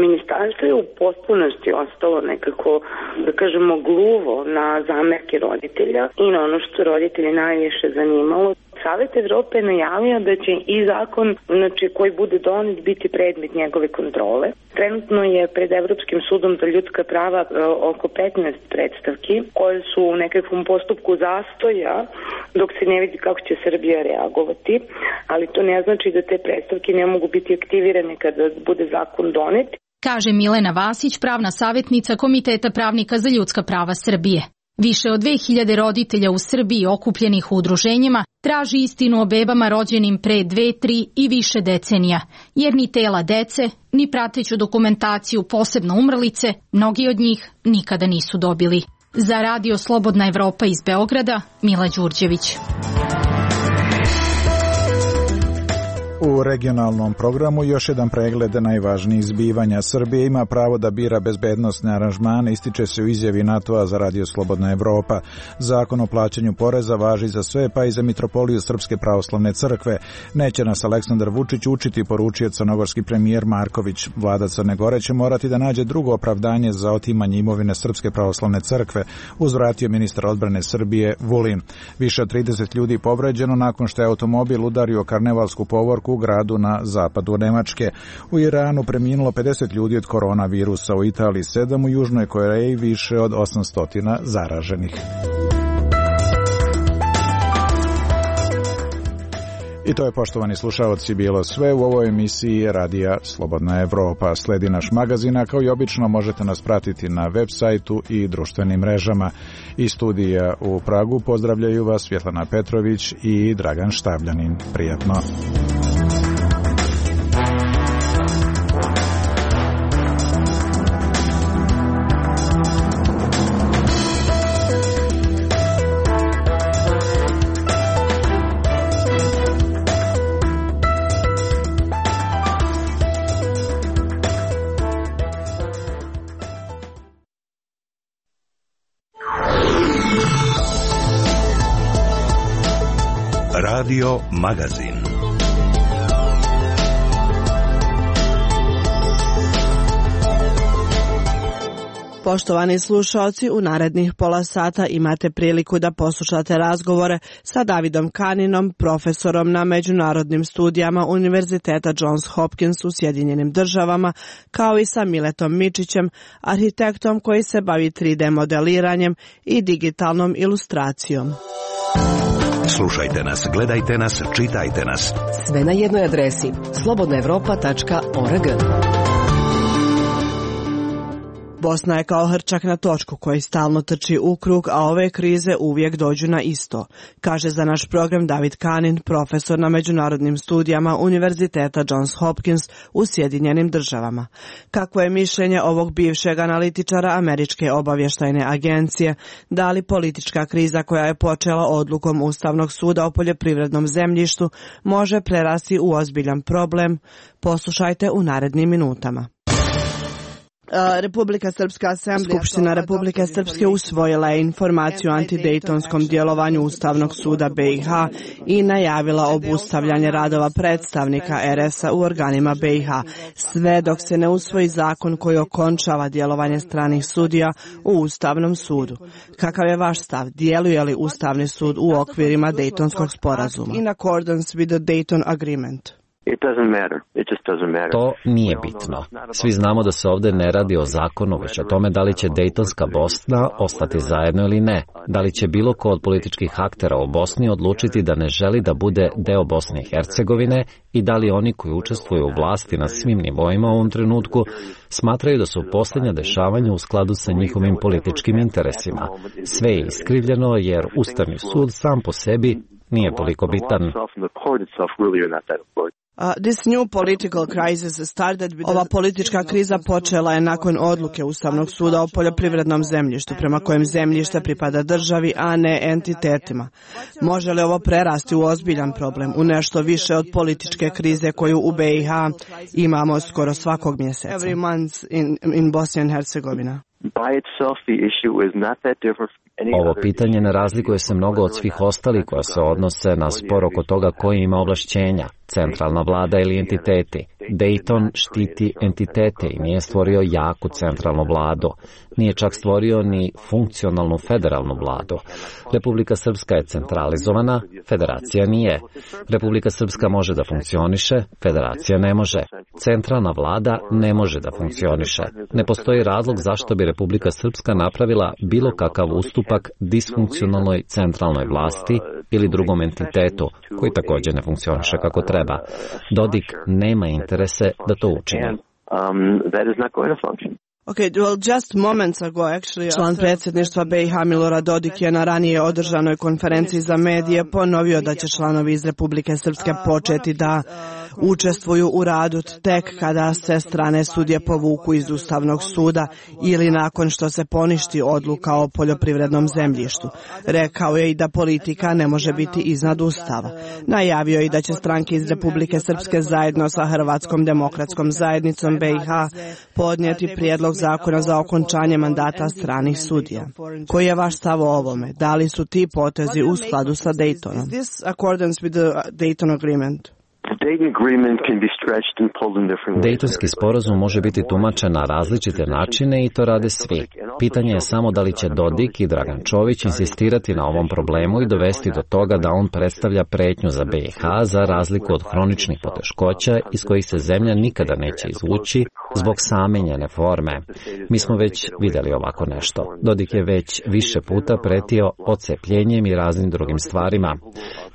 Ministarstvo je u potpunosti ostalo nekako, da kažemo, gluvo na zamerke roditelja i na ono što roditelji najviše zanimalo. Savet Evrope je najavio da će i zakon, koji bude donet, biti predmet njegove kontrole. Trenutno je pred Evropskim sudom za ljudska prava oko 15 predstavki koje su u nekakvom postupku zastoja dok se ne vidi kako će Srbija reagovati, ali to ne znači da te predstavke ne mogu biti aktivirane kada bude zakon donet. Kaže Milena Vasić, pravna savjetnica Komiteta pravnika za ljudska prava Srbije. Više od 2000 roditelja u Srbiji okupljenih u udruženjima traži istinu o bebama rođenim pre 2, 3 i više decenija, jer ni tela dece, ni prateću dokumentaciju, posebno umrlice, mnogi od njih nikada nisu dobili. Za Radio Slobodna Evropa iz Beograda, Mila Đurđević. U regionalnom programu još jedan pregled najvažnijih zbivanja. Srbija ima pravo da bira bezbednosne aranžmane, ističe se u izjavi NATO-a za Radio Slobodna Evropa. Zakon o plaćanju poreza važi za sve, pa i za Mitropoliju Srpske pravoslavne crkve. Neće nas Aleksandar Vučić učiti, poručio crnogorski premijer Marković. Vlada Crne Gore će morati da nađe drugo opravdanje za otimanje imovine Srpske pravoslavne crkve, uzvratio ministar odbrane Srbije Vulin. Više od 30 ljudi povređeno nakon što je automobil udario karnevalsku povorku u gradu na zapadu Nemačke. U Iranu preminulo 50 ljudi od koronavirusa, u Italiji 7, u Južnoj Koreji više od 800 zaraženih. I to je, poštovani slušaoci, bilo sve u ovoj emisiji Radija Slobodna Evropa. Sledi naš magazin, a kao i obično možete nas pratiti na web sajtu i društvenim mrežama. Iz studija u Pragu pozdravljaju vas Svjetlana Petrović i Dragan Štavljanin. Prijatno. Radio magazin. Poštovani slušaoci, u narednih pola sata imate priliku da poslušate razgovore sa Davidom Kaninom, profesorom na međunarodnim studijama Univerziteta Johns Hopkins u Sjedinjenim Državama, kao i sa Miletom Mičićem, arhitektom koji se bavi 3D modeliranjem i digitalnom ilustracijom. Slušajte nas, gledajte nas, čitajte nas. Sve na jednoj adresi slobodnaevropa.org. Bosna je kao hrčak na točku koji stalno trči u krug, a ove krize uvijek dođu na isto, kaže za naš program David Kanin, profesor na međunarodnim studijama Univerziteta Johns Hopkins u Sjedinjenim Državama. Kakvo je mišljenje ovog bivšeg analitičara Američke obavještajne agencije? Da li politička kriza koja je počela odlukom Ustavnog suda o poljoprivrednom zemljištu može prerasti u ozbiljan problem? Poslušajte u narednim minutama. Republika Srpska asamblea, Skupština Republike Srpske usvojila je informaciju o antidejtonskom djelovanju Ustavnog suda BiH i najavila obustavljanje radova predstavnika RS-a u organima BiH, sve dok se ne usvoji zakon koji okončava djelovanje stranih sudija u Ustavnom sudu. Kakav je vaš stav? Djeluje li Ustavni sud u okvirima Dejtonskog sporazuma? In accordance with the Dayton Agreement. To nije bitno. Svi znamo da se ovdje ne radi o zakonu, već o tome da li će Dejtonska Bosna ostati zajedno ili ne. Da li će bilo ko od političkih aktera u Bosni odlučiti da ne želi da bude deo Bosne i Hercegovine i da li oni koji učestvuju u vlasti na svim nivoima u ovom trenutku smatraju da su posljednja dešavanja u skladu sa njihovim političkim interesima. Sve je iskrivljeno jer Ustavni sud sam po sebi nije toliko bitan. Ova politička kriza počela je nakon odluke Ustavnog suda o poljoprivrednom zemljištu, prema kojem zemljište pripada državi, a ne entitetima. Može li ovo prerasti u ozbiljan problem, u nešto više od političke krize koju u BiH imamo skoro svakog mjeseca? Every month in Bosnia and Herzegovina. Ovo pitanje ne razlikuje se mnogo od svih ostalih koja se odnose na spor oko toga koji ima ovlašćenja, centralna vlada ili entiteti. Dayton štiti entitete i nije stvorio jaku centralnu vladu. Nije čak stvorio ni funkcionalnu federalnu vladu. Republika Srpska je centralizovana, federacija nije. Republika Srpska može da funkcioniše, federacija ne može. Centralna vlada ne može da funkcioniše. Ne postoji razlog zašto bi Republika Srpska napravila bilo kakav ustupak disfunkcionalnoj centralnoj vlasti ili drugom entitetu, koji također ne funkcioniše kako treba. Dodik nema interese da to učini. Član predsjedništva BiH Milorad Dodik je na ranije održanoj konferenciji za medije ponovio da će članovi iz Republike Srpske početi da učestvuju u radu tek kada se strane sudije povuku iz Ustavnog suda ili nakon što se poništi odluka o poljoprivrednom zemljištu. Rekao je i da politika ne može biti iznad Ustava. Najavio je i da će stranke iz Republike Srpske zajedno sa Hrvatskom demokratskom zajednicom BiH podnijeti prijedlog zakona za okončanje mandata stranih sudija. Koji je vaš stav o ovome? Da li su ti potezi u skladu sa Daytonom? Dejtonski sporazum može biti tumačen na različite načine i to rade svi. Pitanje je samo da li će Dodik i Dragan Čović insistirati na ovom problemu i dovesti do toga da on predstavlja pretnju za BiH za razliku od hroničnih poteškoća iz kojih se zemlja nikada neće izvući zbog same njene forme. Mi smo već vidjeli ovako nešto. Dodik je već više puta pretio odcepljenjem i raznim drugim stvarima.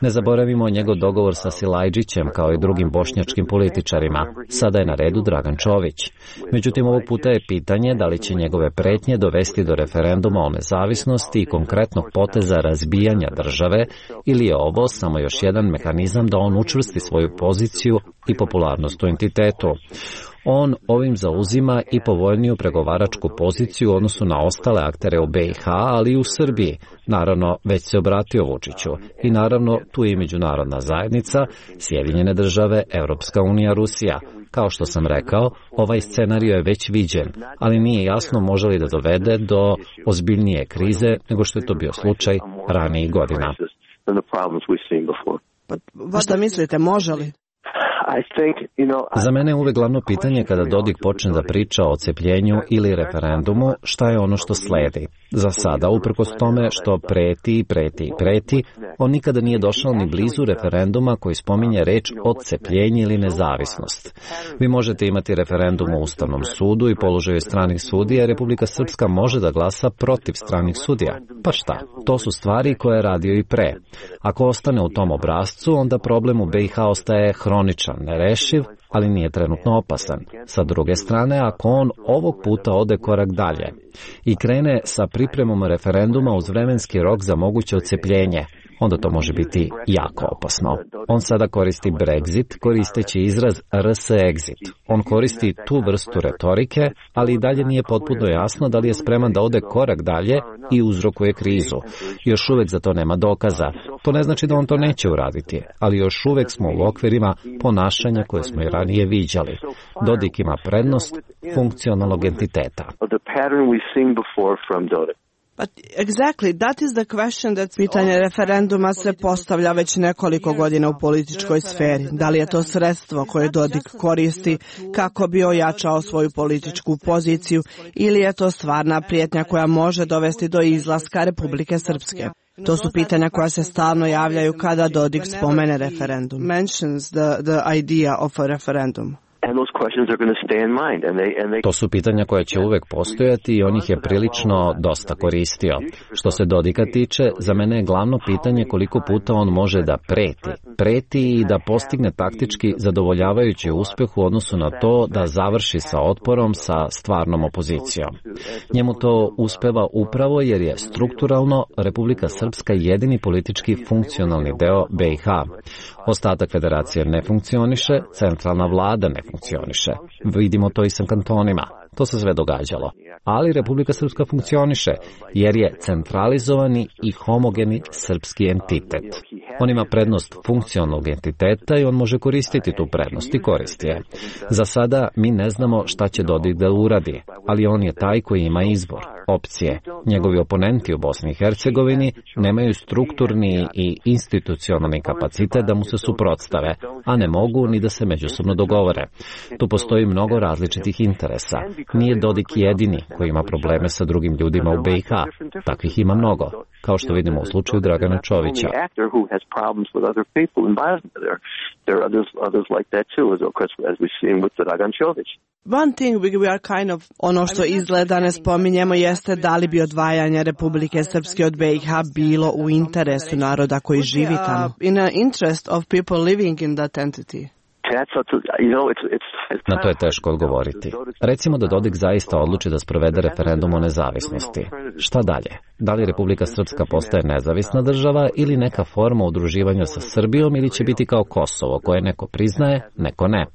Ne zaboravimo njegov dogovor sa Silajđićem kao i drugim bošnjačkim političarima. Sada je na redu Dragan Čović. Međutim, ovog puta je pitanje da li će njegove pretnje dovesti do referenduma o nezavisnosti i konkretnog poteza razbijanja države, ili je ovo samo još jedan mehanizam da on učvrsti svoju poziciju i popularnost u entitetu. On ovim zauzima i povoljniju pregovaračku poziciju u odnosu na ostale aktere u BiH, ali i u Srbiji. Naravno, već se obratio Vučiću. I naravno, tu je i međunarodna zajednica, Sjedinjene države, Europska unija, Rusija. Kao što sam rekao, ovaj scenario je već viđen, ali nije jasno može li da dovede do ozbiljnije krize nego što je to bio slučaj ranijih godina. Pa šta mislite, može li? Za mene je uvek glavno pitanje kada Dodik počne da priča o odcepljenju ili referendumu, šta je ono što sledi. Za sada, uprkos tome što preti, on nikada nije došao ni blizu referenduma koji spominje reč odcepljenje ili nezavisnost. Vi možete imati referendum u Ustavnom sudu i položaju stranih sudija, Republika Srpska može da glasa protiv stranih sudija. Pa šta? To su stvari koje je radio i pre. Ako ostane u tom obrascu, onda problem u BiH ostaje hroničan, nerešiv, ali nije trenutno opasan. Sa druge strane, ako on ovog puta ode korak dalje i krene sa pripremom referenduma uz vremenski rok za moguće odcepljenje, onda to može biti jako opasno. On sada koristi Brexit, koristeći izraz RS exit. On koristi tu vrstu retorike, ali i dalje nije potpuno jasno da li je spreman da ode korak dalje i uzrokuje krizu. Još uvek za to nema dokaza. To ne znači da on to neće uraditi, ali još uvek smo u okvirima ponašanja koje smo i ranije viđali. Dodik ima prednost funkcionalnog entiteta. But exactly, that is the question that pitanje referenduma se postavlja već nekoliko godina u političkoj sferi. Da li je to sredstvo koje Dodik koristi kako bi ojačao svoju političku poziciju ili je to stvarna prijetnja koja može dovesti do izlaska Republike Srpske? To su pitanja koja se stalno javljaju kada Dodik spomene referendum. Mentions the idea of a referendum. To su pitanja koja će uvek postojati i on ih je prilično dosta koristio. Što se Dodika tiče, za mene je glavno pitanje koliko puta on može da preti i da postigne taktički zadovoljavajući uspeh u odnosu na to da završi sa otporom sa stvarnom opozicijom. Njemu to uspeva upravo jer je strukturalno Republika Srpska jedini politički funkcionalni deo BiH. Ostatak federacije ne funkcioniše, centralna vlada ne funkcioniše. Vidimo to i sa kantonima. To se sve događalo. Ali Republika Srpska funkcioniše jer je centralizovani i homogeni srpski entitet. On ima prednost funkcionalnog entiteta i on može koristiti tu prednost i koristi je. Za sada mi ne znamo šta će Dodik da uradi, ali on je taj koji ima izbor, opcije. Njegovi oponenti u Bosni i Hercegovini nemaju strukturni i institucionalni kapacitet da mu se suprotstave, a ne mogu ni da se međusobno dogovore. Tu postoji mnogo različitih interesa. Nije Dodik jedini koji ima probleme sa drugim ljudima u BiH. Takvih ima mnogo, kao što vidimo u slučaju Dragana Čovića. One thing we are kind of, ono što izgleda ne spominjemo jeste da li bi odvajanje Republike Srpske od BiH bilo u interesu naroda koji živi tamo. In the interest of people living in that entity. Na to je teško odgovoriti. Recimo da Dodik zaista odluči da sprovede referendum o nezavisnosti. Šta dalje? Da li Republika Srpska postaje nezavisna država ili neka forma udruživanja sa Srbijom ili će biti kao Kosovo koje neko priznaje, neko ne?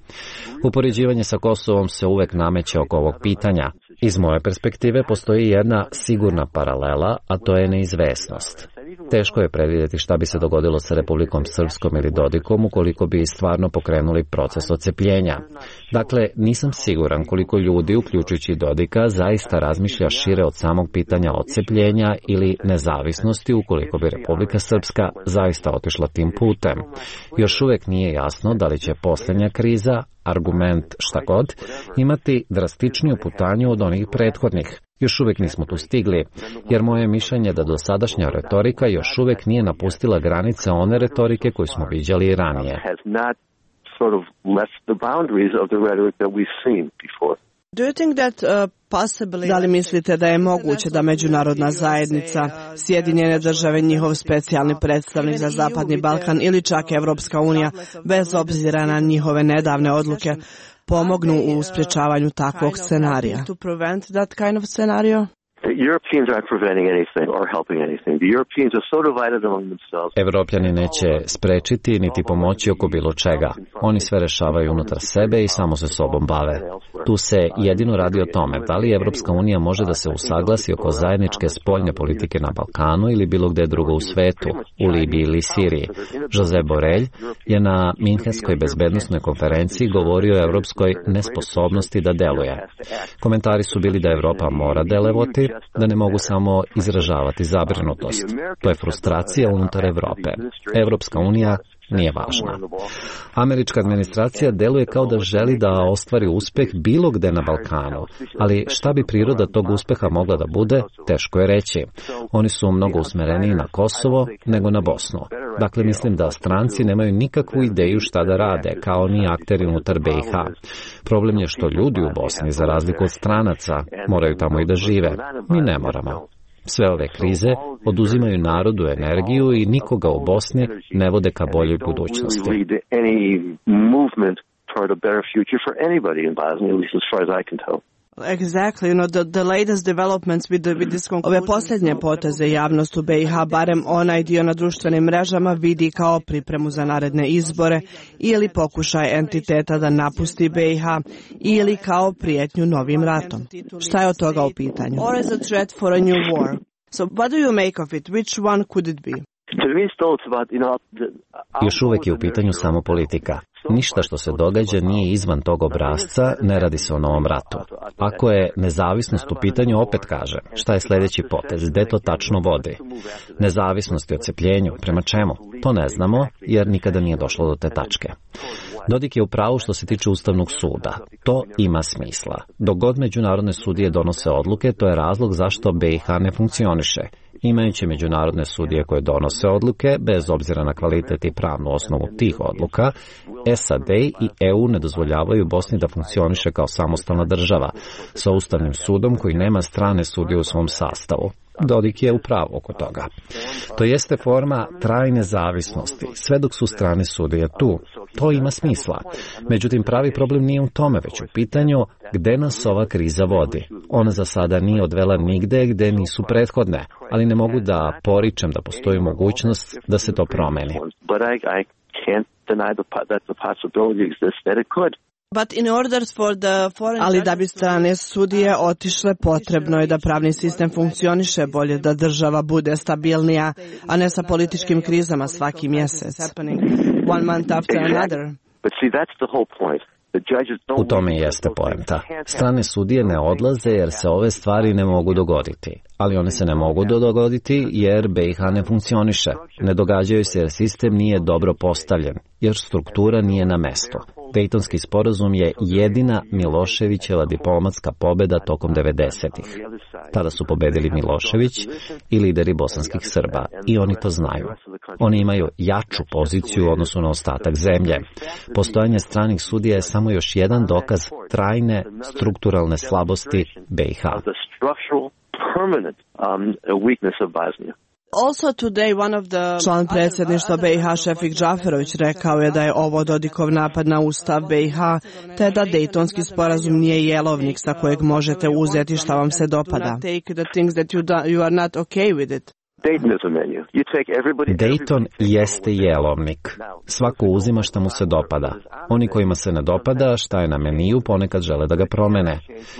Upoređivanje sa Kosovom se uvek nameće oko ovog pitanja. Iz moje perspektive postoji jedna sigurna paralela, a to je neizvesnost. Teško je predvidjeti šta bi se dogodilo sa Republikom Srpskom ili Dodikom ukoliko bi stvarno pokrenuli proces odcepljenja. Dakle, nisam siguran koliko ljudi, uključujući Dodika, zaista razmišlja šire od samog pitanja odcepljenja ili nezavisnosti ukoliko bi Republika Srpska zaista otišla tim putem. Još uvek nije jasno da li će posljednja kriza, argument šta god, imati drastičniju putanju od onih prethodnih. Još uvek nismo tu stigli, jer moje mišljenje da dosadašnja retorika još uvek nije napustila granice one retorike koju smo viđali i ranije. Da li mislite da je moguće da međunarodna zajednica, Sjedinjene države, njihov specijalni predstavnik za Zapadni Balkan ili čak Evropska unija, bez obzira na njihove nedavne odluke, pomognu u sprječavanju takvog scenarija? Evropljani neće sprečiti niti pomoći oko bilo čega. Oni sve rešavaju unutar sebe i samo se sobom bave. Tu se jedino radi o tome da li Evropska unija može da se usaglasi oko zajedničke spoljne politike na Balkanu ili bilo gde drugo u svetu, u Libiji ili Siriji. Josep Borrell je na Minhenskoj bezbednosnoj konferenciji govorio o evropskoj nesposobnosti da deluje. Komentari su bili da Evropa mora delovati, da ne mogu samo izražavati zabrinutost. To je frustracija unutar Evrope. Evropska unija nije važna. Američka administracija deluje kao da želi da ostvari uspeh bilo gde na Balkanu, ali šta bi priroda tog uspeha mogla da bude, teško je reći. Oni su mnogo usmereniji na Kosovo nego na Bosnu. Dakle, mislim da stranci nemaju nikakvu ideju šta da rade, kao ni akteri unutar BiH. Problem je što ljudi u Bosni, za razliku od stranaca, moraju tamo i da žive. Mi ne moramo. Sve ove krize oduzimaju narodu energiju i nikoga u Bosni ne vode ka boljoj budućnosti. Ove posljednje poteze javnost u BiH, barem onaj dio na društvenim mrežama, vidi kao pripremu za naredne izbore ili pokušaj entiteta da napusti BiH ili kao prijetnju novim ratom. Šta je od toga u pitanju? So what do you make of it? Which one could it be? Još uvek je u pitanju samo politika. Ništa što se događa nije izvan tog obrasca, ne radi se o novom ratu. Ako je nezavisnost u pitanju, opet kaže, šta je sljedeći potez, gde to tačno vodi? Nezavisnost i odcepljenju, prema čemu? To ne znamo, jer nikada nije došlo do te tačke. Dodik je u pravu što se tiče Ustavnog suda. To ima smisla. Dok god međunarodne sudije donose odluke, to je razlog zašto BiH ne funkcioniše. Imajući međunarodne sudije koje donose odluke, bez obzira na kvalitet i pravnu osnovu tih odluka, SAD i EU ne dozvoljavaju Bosni da funkcioniše kao samostalna država, sa Ustavnim sudom koji nema strane sudije u svom sastavu. Dodik je u pravu oko toga. To jeste forma trajne zavisnosti, sve dok su strane sudije tu. To ima smisla. Međutim, pravi problem nije u tome, već u pitanju gde nas ova kriza vodi. Ona za sada nije odvela nigde gde nisu prethodne, ali ne mogu da poričem da postoji mogućnost da se to promeni. Ali da bi strane sudije otišle, potrebno je da pravni sistem funkcioniše bolje, da država bude stabilnija, a ne sa političkim krizama svaki mjesec. One month after another. U tome jeste poenta. Strane sudije ne odlaze jer se ove stvari ne mogu dogoditi. Ali one se ne mogu dogoditi jer BiH ne funkcioniše. Ne događaju se jer sistem nije dobro postavljen, jer struktura nije na mestu. Dejtonski sporazum je jedina Miloševićeva diplomatska pobeda tokom 90-ih. Tada su pobedili Milošević i lideri bosanskih Srba i oni to znaju. Oni imaju jaču poziciju u odnosu na ostatak zemlje. Postojanje stranih sudija je samo još jedan dokaz trajne strukturalne slabosti BiH. Član predsjedništva BiH Šefik Džaferović rekao je da je ovo Dodikov napad na ustav BiH, te da Dejtonski sporazum nije jelovnik sa kojeg možete uzeti šta vam se dopada. Dejton jeste jelovnik. Svako uzima šta mu se dopada. Oni kojima se ne dopada šta je na meniju ponekad žele da ga promene.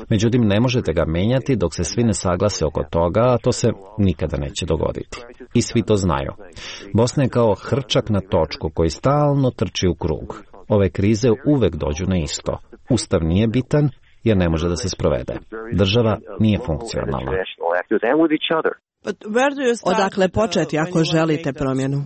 Međutim, ne možete ga menjati dok se svi ne saglase oko toga, a to se nikada neće dogoditi. I svi to znaju. Bosna je kao hrčak na točku koji stalno trči u krug. Ove krize uvek dođu na isto. Ustav nije bitan jer ne može da se sprovede. Država nije funkcionalna. Odakle početi ako želite promjenu?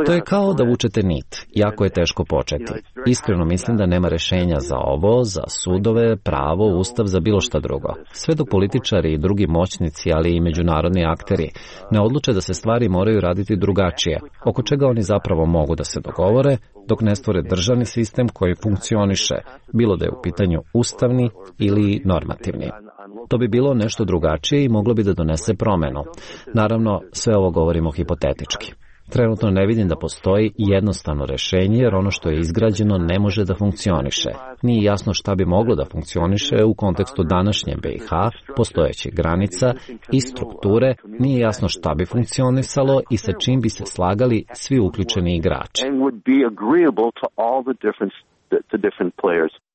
To je kao da vučete nit. Jako je teško početi. Iskreno mislim da nema rešenja za ovo, za sudove, pravo, ustav, za bilo šta drugo. Sve dok političari i drugi moćnici, ali i međunarodni akteri ne odluče da se stvari moraju raditi drugačije, oko čega oni zapravo mogu da se dogovore, dok ne stvore državni sistem koji funkcioniše, bilo da je u pitanju ustavni ili normativni. To bi bilo nešto drugačije i moglo bi da donese promenu. Naravno, sve ovo govorimo hipotetički. Trenutno ne vidim da postoji jednostavno rešenje, jer ono što je izgrađeno ne može da funkcioniše. Nije jasno šta bi moglo da funkcioniše u kontekstu današnje BiH, postojećih granica i strukture, nije jasno šta bi funkcionisalo i sa čim bi se slagali svi uključeni igrači.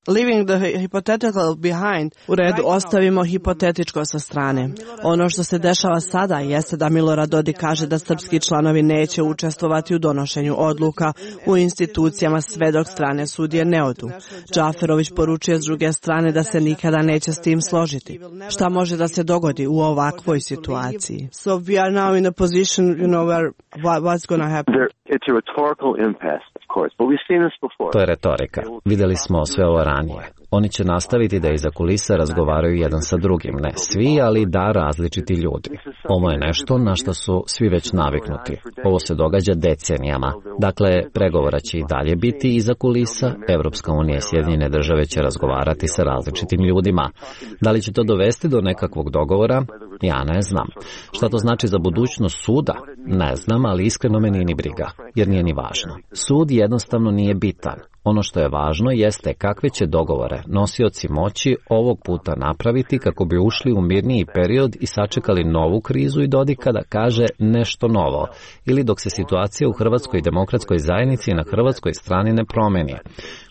Leaving the hypothetical behind, u redu ostavimo hipotetičko sa strane. Ono što se dešava sada jeste da Milorad Dodik kaže da srpski članovi neće učestvovati u donošenju odluka u institucijama sve dok strane sudije ne odu. Džaferović poručuje s druge strane da se nikada neće s tim složiti. Šta može da se dogodi u ovakvoj situaciji? So we are now in a position, where what's going to happen? It's a rhetorical impasse, of course, but we've seen this before. To je retorika. Videli smo sve ovo ranije. Oni će nastaviti da iza kulisa razgovaraju jedan sa drugim. Ne svi, ali da različiti ljudi. Ovo je nešto na što su svi već naviknuti. Ovo se događa decenijama. Dakle, pregovora će i dalje biti iza kulisa. Evropska unija i Sjedinjene države će razgovarati sa različitim ljudima. Da li će to dovesti do nekakvog dogovora? Ja ne znam. Šta to znači za budućnost suda? Ne znam, ali iskreno me nije ni briga, jer nije ni važno. Sud jednostavno nije bitan. Ono što je važno jeste kakve će dogovore nosioci moći ovog puta napraviti kako bi ušli u mirniji period i sačekali novu krizu i Dodika da kaže nešto novo, ili dok se situacija u Hrvatskoj demokratskoj zajednici i na hrvatskoj strani ne promeni.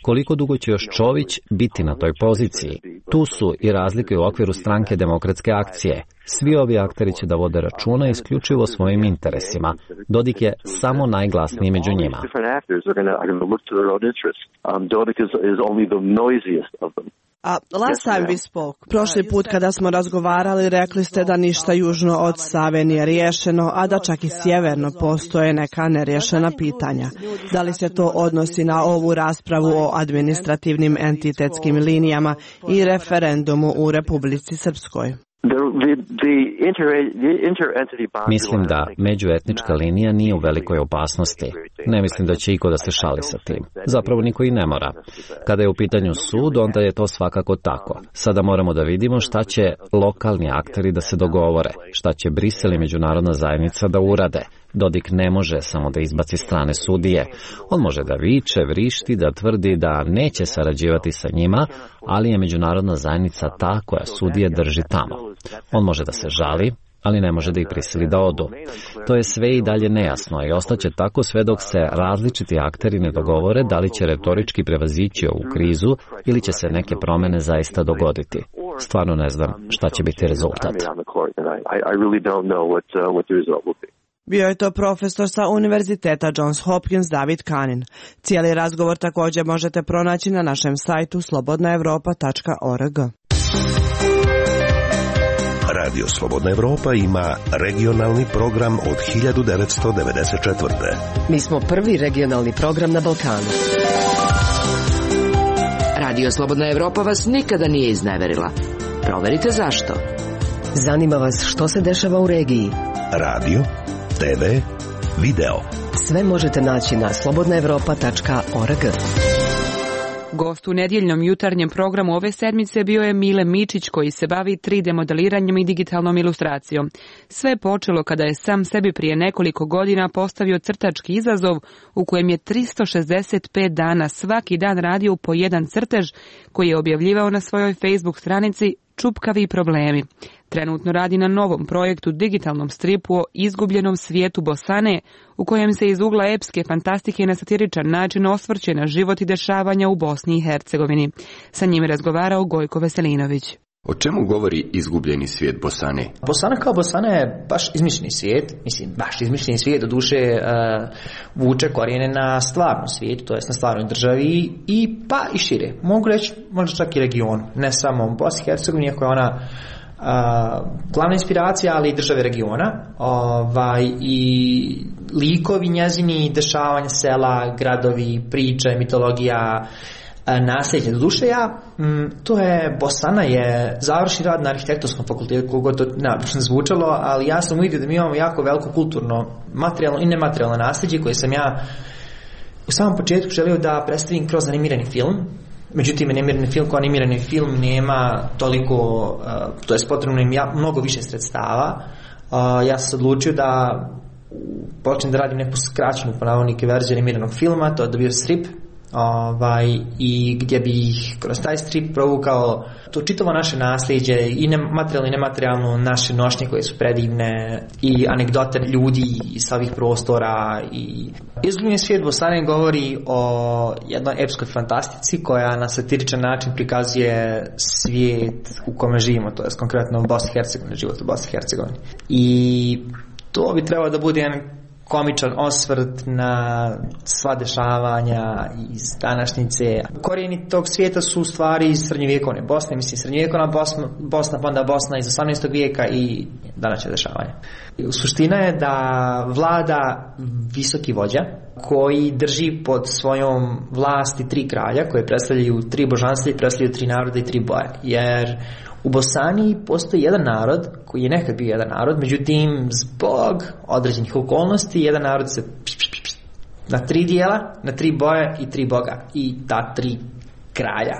Koliko dugo će još Čović biti na toj poziciji? Tu su i razlike u okviru stranke Demokratske akcije. Svi ovi akteri će da vode računa isključivo svojim interesima. Dodik je samo najglasniji među njima. Last time we spoke. Prošli put kada smo razgovarali, rekli ste da ništa južno od Save nije riješeno, a da čak i sjeverno postoje neka neriješena pitanja. Da li se to odnosi na ovu raspravu o administrativnim entitetskim linijama i referendumu u Republici Srpskoj? Mislim da međuetnička linija nije u velikoj opasnosti. Ne mislim da će iko da se šali sa tim. Zapravo niko i ne mora. Kada je u pitanju sud, onda je to svakako tako. Sada moramo da vidimo šta će lokalni akteri da se dogovore, šta će Brisel i međunarodna zajednica da urade. Dodik ne može samo da izbaci strane sudije. On može da viče, vrišti, da tvrdi da neće sarađivati sa njima, ali je međunarodna zajednica ta koja sudije drži tamo. On može da se žali, ali ne može da ih prisili da odu. To je sve i dalje nejasno i ostaće tako sve dok se različiti akteri ne dogovore da li će retorički prevazići ovu krizu ili će se neke promene zaista dogoditi. Stvarno ne znam šta će biti rezultat. Bio je to profesor sa Univerziteta Johns Hopkins David Kanin. Cijeli razgovor također možete pronaći na našem sajtu slobodnaevropa.org. Radio Slobodna Evropa ima regionalni program od 1994. Mi smo prvi regionalni program na Balkanu. Radio Slobodna Evropa vas nikada nije izneverila. Proverite zašto. Zanima vas što se dešava u regiji. Radio, TV, video. Sve možete naći na slobodnaevropa.org. Gost u nedjeljnom jutarnjem programu ove sedmice bio je Mile Mičić, koji se bavi 3D modeliranjem i digitalnom ilustracijom. Sve je počelo kada je sam sebi prije nekoliko godina postavio crtački izazov u kojem je 365 dana svaki dan radio po jedan crtež koji je objavljivao na svojoj Facebook stranici Čupkavi problemi. Trenutno radi na novom projektu, digitalnom stripu o izgubljenom svijetu Bosane, u kojem se iz ugla epske fantastike na satiričan način osvrće na život i dešavanja u Bosni i Hercegovini. Sa njim je razgovarao Gojko Veselinović. O čemu govori izgubljeni svijet Bosane? Bosana kao Bosana je baš izmišljeni svijet, baš izmišljeni svijet, do duše vuče korijene na stvarnom svijetu, to jest na stvarnoj državi i pa i šire. Mogu reći možda čak i regionu, ne samo Bosni i Hercegovini, iako je ona glavna inspiracija, ali i države regiona, i likovi njezini, dešavanja sela, gradovi, priče, mitologija, nasljeđe. Doduše to je, Bosana je završni rad na arhitektonskom fakultetu, koliko to neobično zvučalo, ali ja sam uvidio da mi imamo jako veliko kulturno, materijalno i nematerijalno nasljeđe koje sam ja u samom početku želio da predstavim kroz animirani film. Međutim, animirani film nema toliko, to je potrebno im mnogo više sredstava. Ja sam se odlučio da počnem da radim neku skraćenu po navodnike verziju animiranog filma, to je bio strip, i gdje bih kroz taj strip provukao to čitavo naše nasljeđe, i materijalno i nematerijalno, naše nošnje koje su predivne, i anegdote ljudi sa ovih prostora. I Izgubljen svijet Bosane govori o jednoj epskoj fantastici koja na satiričan način prikazuje svijet u kome živimo, to je konkretno Bosni i Hercegovini, život u Bosni i Hercegovini. I to bi trebalo da bude jedan komičan osvrt na sva dešavanja iz današnjice. Korijeni tog svijeta su u stvari iz srednjovjekovne Bosne, srednjovjekovna Bosna, pa onda Bosna iz 18. vijeka i današnje dešavanja. Suština je da vlada visoki vođa koji drži pod svojom vlasti 3 kralja koje predstavljaju 3 božanstva i predstavljaju 3 naroda i 3 boje. Jer u Bosani postoji jedan narod koji je nekad bio jedan narod, međutim zbog određenih okolnosti jedan narod se na 3 dijela, na 3 boje i 3 boga, i ta 3 kralja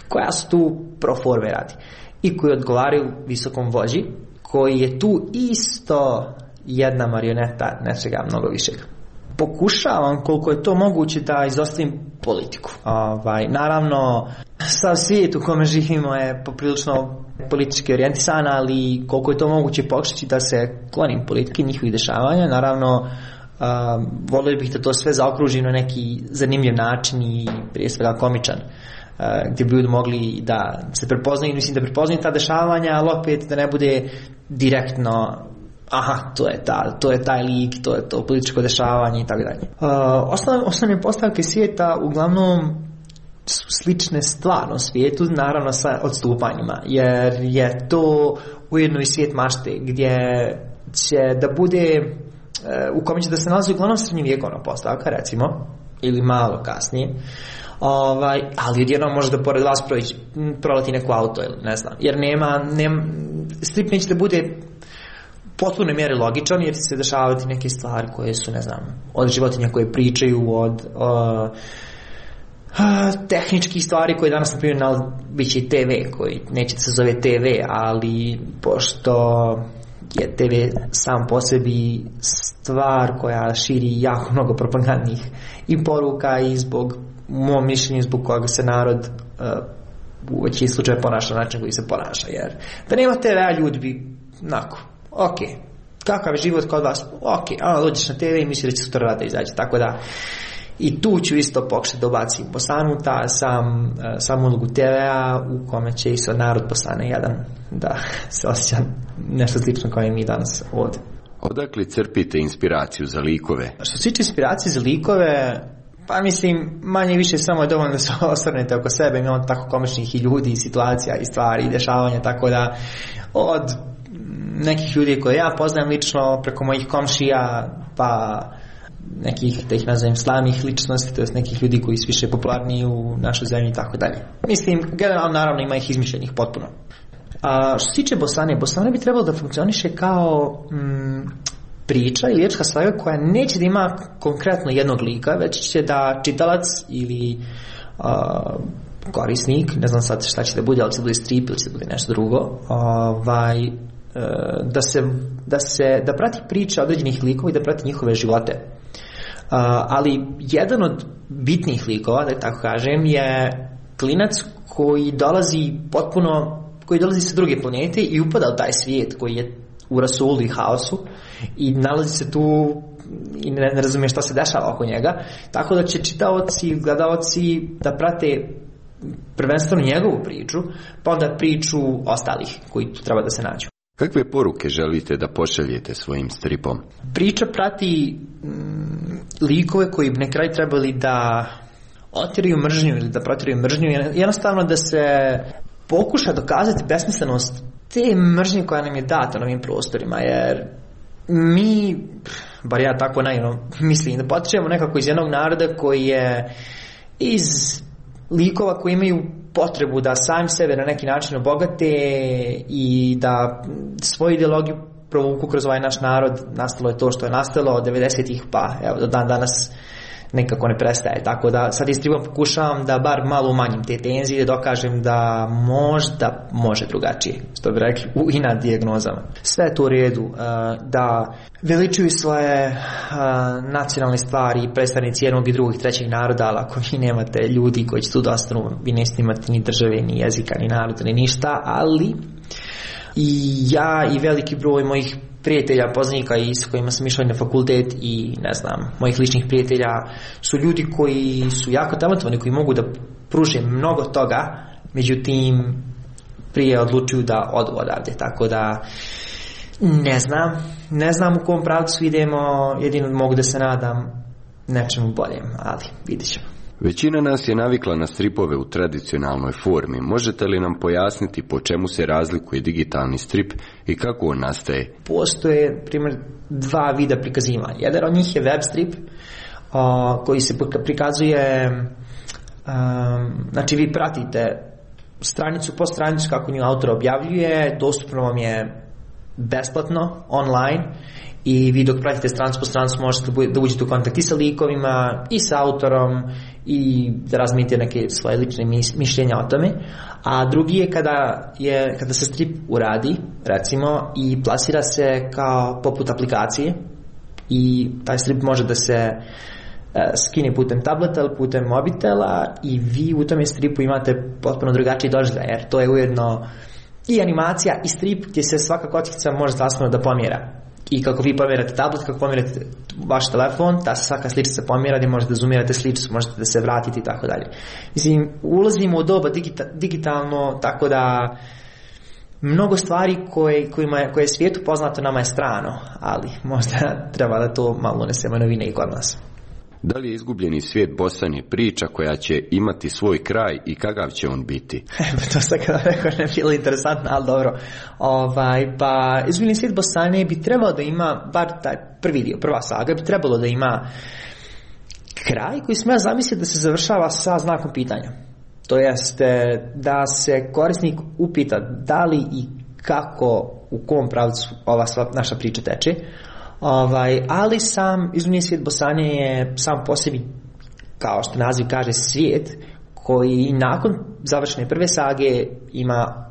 koja su tu pro forme radi i koji odgovaraju visokom vođi koji je tu isto jedna marioneta nečega mnogo višeg. Pokušavam koliko je to moguće da izostavim politiku. Naravno, sav svijet u kome živimo je poprilično politički orijentisan, ali koliko je to moguće pokušati da se klonim politike, njihovih dešavanja. Naravno, volio bih da to sve zaokružim na neki zanimljiv način i prije svega komičan, gdje bi ljudi mogli da se prepoznaju, da prepoznaju ta dešavanja, ali opet da ne bude direktno to je taj lik, to je to političko dešavanje i tako dalje. Osnovne postavke svijeta uglavnom su slične stvarno svijetu, naravno sa odstupanjima, jer je to ujedno i svijet mašte gdje će da bude, u kome će da se nalazi uglavnom srednjovjekovna postavka, recimo, ili malo kasnije, ali odjednom može da pored vas proleti neko auto ili ne znam, jer nema strip neće da bude potpuno mjeri logičan, jer će se dešavati neke stvari koje su, ne znam, od životinja koje pričaju, od tehničkih stvari koje danas, na primjer, bit će i TV, koji neće se zove TV, ali pošto je TV sam po sebi stvar koja širi jako mnogo propagandnih i poruka, i zbog, u mom mišljenju, zbog koga se narod u većini slučaja ponaša na način koji se ponaša, jer da nema TV-a ljudi bi ok, kakav je život kod vas, ok, dođeš na TV i misli da će sutra rada izaći, tako da i tu ću isto pokušati da ubacim Bosanu, sam ulogu TV-a u kome će i sad narod Bosane jedan da se osjeća nešto slično kao i mi danas ovdje. Odakle crpite inspiraciju za likove? Što se tiče inspiracije za likove, pa mislim, manje i više samo je dovoljno da se osvrnete oko sebe, imamo tako komičnih i ljudi, i situacija, i stvari, i dešavanja, tako da od nekih ljudi koje ja poznajem lično, preko mojih komšija, pa nekih, da ih nazovem, slavnih ličnosti, to jest nekih ljudi koji su više popularniji u našoj zemlji i tako dalje. Mislim, generalno, naravno, ima ih izmišljenih potpuno. Što se tiče Bosane, Bosana bi trebalo da funkcioniše kao priča ili epska saga koja neće da ima konkretno jednog lika, već će da čitalac ili korisnik, ne znam sad šta će da bude, ali će da bude strip ili će da bude nešto drugo, da prati priče određenih likova i da prati njihove živote. Ali jedan od bitnih likova, da tako kažem, je klinac koji dolazi sa druge planete i upada u taj svijet koji je u rasulu i haosu i nalazi se tu i ne razumije šta se dešava oko njega, tako da će čitaoci, gledaoci da prate prvenstveno njegovu priču, pa onda priču ostalih koji tu treba da se nađu. Kakve poruke želite da pošaljete svojim stripom? Priča prati likove koji bi na kraju trebali da otiraju mržnju ili da protiraju mržnju, jednostavno da se pokuša dokazati besmislenost te mržnje koja nam je data na ovim prostorima, jer mi, bar ja tako naivno mislim, da potičemo nekako iz jednog naroda koji je iz likova koji imaju potrebu da sami sebe na neki način obogate i da svoju ideologiju provuku kroz ovaj naš narod. Nastalo je to što je nastalo od 90-ih pa evo do dan danas nekako ne prestaje, tako da sad istribom pokušavam da bar malo umanjim te tenzije, da dokažem da možda može drugačije, što bi rekli u inat dijagnozama. Sve je to u redu, da veličuju svoje nacionalne stvari predstavnici jednog i drugog i trećeg naroda, ali ako vi nemate ljudi koji će tu da ostanu, vi nećete imati ni države, ni jezika, ni naroda, ni ništa, ali i ja i veliki broj mojih prijatelja, poznanika i s kojima sam išao na fakultet i ne znam, mojih ličnih prijatelja su ljudi koji su jako talentovani, koji mogu da pruže mnogo toga, međutim prije odlučuju da odu odavde, tako da ne znam u kom pravcu idemo, jedino mogu da se nadam nečemu boljem, ali vidit ćemo. Većina nas je navikla na stripove u tradicionalnoj formi. Možete li nam pojasniti po čemu se razlikuje digitalni strip i kako on nastaje? Postoje, primjer, dva vida prikazivanja. Jedan od njih je web strip koji se prikazuje, znači vi pratite stranicu po stranicu kako nju autor objavljuje, dostupno vam je besplatno, online, i vi dok pratite stranicu po stranicu možete da uđete u kontakt i sa likovima i sa autorom i da razmijenite neke svoje lične mišljenja o tome. A drugi je kada se strip uradi, recimo, i plasira se kao poput aplikacije, i taj strip može da se skine putem tableta ili putem mobitela, i vi u tome stripu imate potpuno drugačiji doživljaj, jer to je ujedno i animacija i strip gdje se svaka kockica može zasnovno da pomjera. I kako vi pomjerate tablet, kako pomjerate vaš telefon, ta se svaka sličica pomjera, gdje možete da zoomirate sličicu, možete da se vratite i tako dalje. Mislim, ulazimo u doba digitalno, tako da mnogo stvari koje je svijetu poznato nama je strano, ali možda treba da to malo unesemo novine i kod nas. Da li je izgubljeni svijet Bosane priča koja će imati svoj kraj i kakav će on biti? To sad kada rekao ne bilo interesantno, ali dobro. Pa izgubljeni svijet Bosane bi trebalo da ima, bar taj prvi dio, prva saga, bi trebalo da ima kraj koji smo ja zamisliti da se završava sa znakom pitanja. To jeste da se korisnik upita da li i kako, u kom pravcu ova sva naša priča teče. Ali sam izgubljeni svijet Bosane je sam po sebi, kao što naziv kaže, svijet koji nakon završene prve sage ima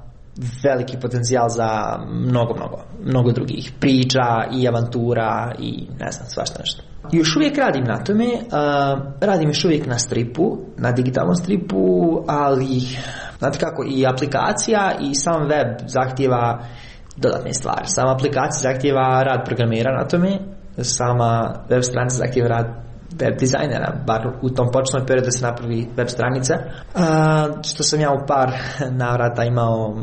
veliki potencijal za mnogo drugih priča i avantura i ne znam, svašta nešto. Još uvijek radim na tome, radim još uvijek na stripu, na digitalnom stripu, ali znate kako, i aplikacija i sam web zahtjeva dodatne stvari. Sama aplikacija zahtjeva rad programera na tome, sama web stranica zahtjeva rad web dizajnera, bar u tom početnom periodu da se napravi web stranica, što sam ja u par navrata imao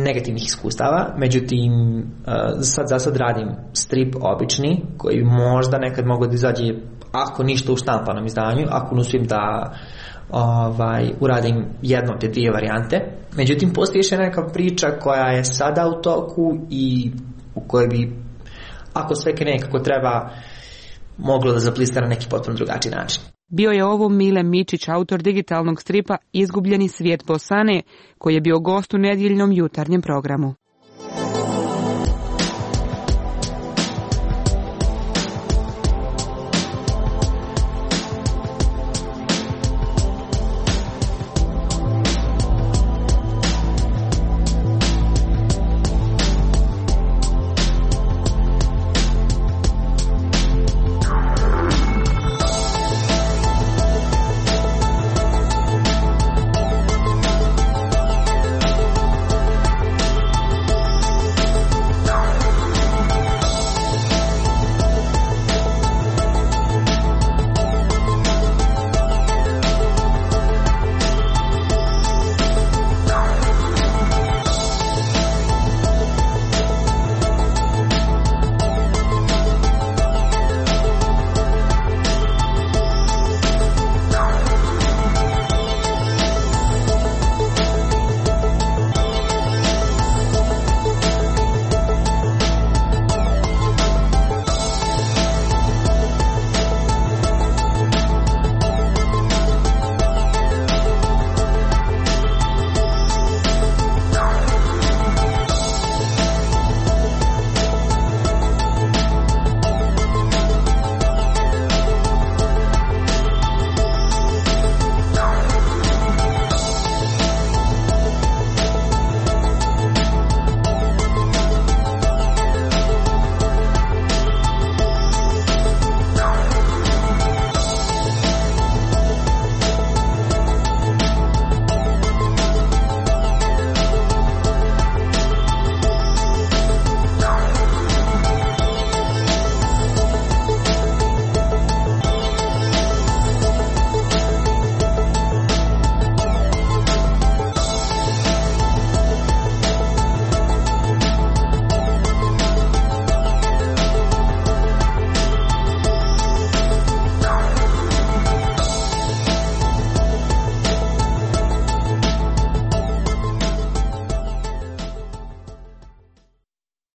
negativnih iskustava, međutim za sad radim strip obični koji možda nekad mogu da izađe, ako ništa, u štampanom izdanju, ako ne uspijem da uradim jednu od te dvije varijante. Međutim, postoji još neka priča koja je sada u toku i u kojoj bi, ako sve krene kako treba, moglo da zaplista na neki potpuno drugačiji način. Bio je ovo Mile Mičić, autor digitalnog stripa Izgubljeni svijet Bosane, koji je bio gost u nedjeljnom jutarnjem programu.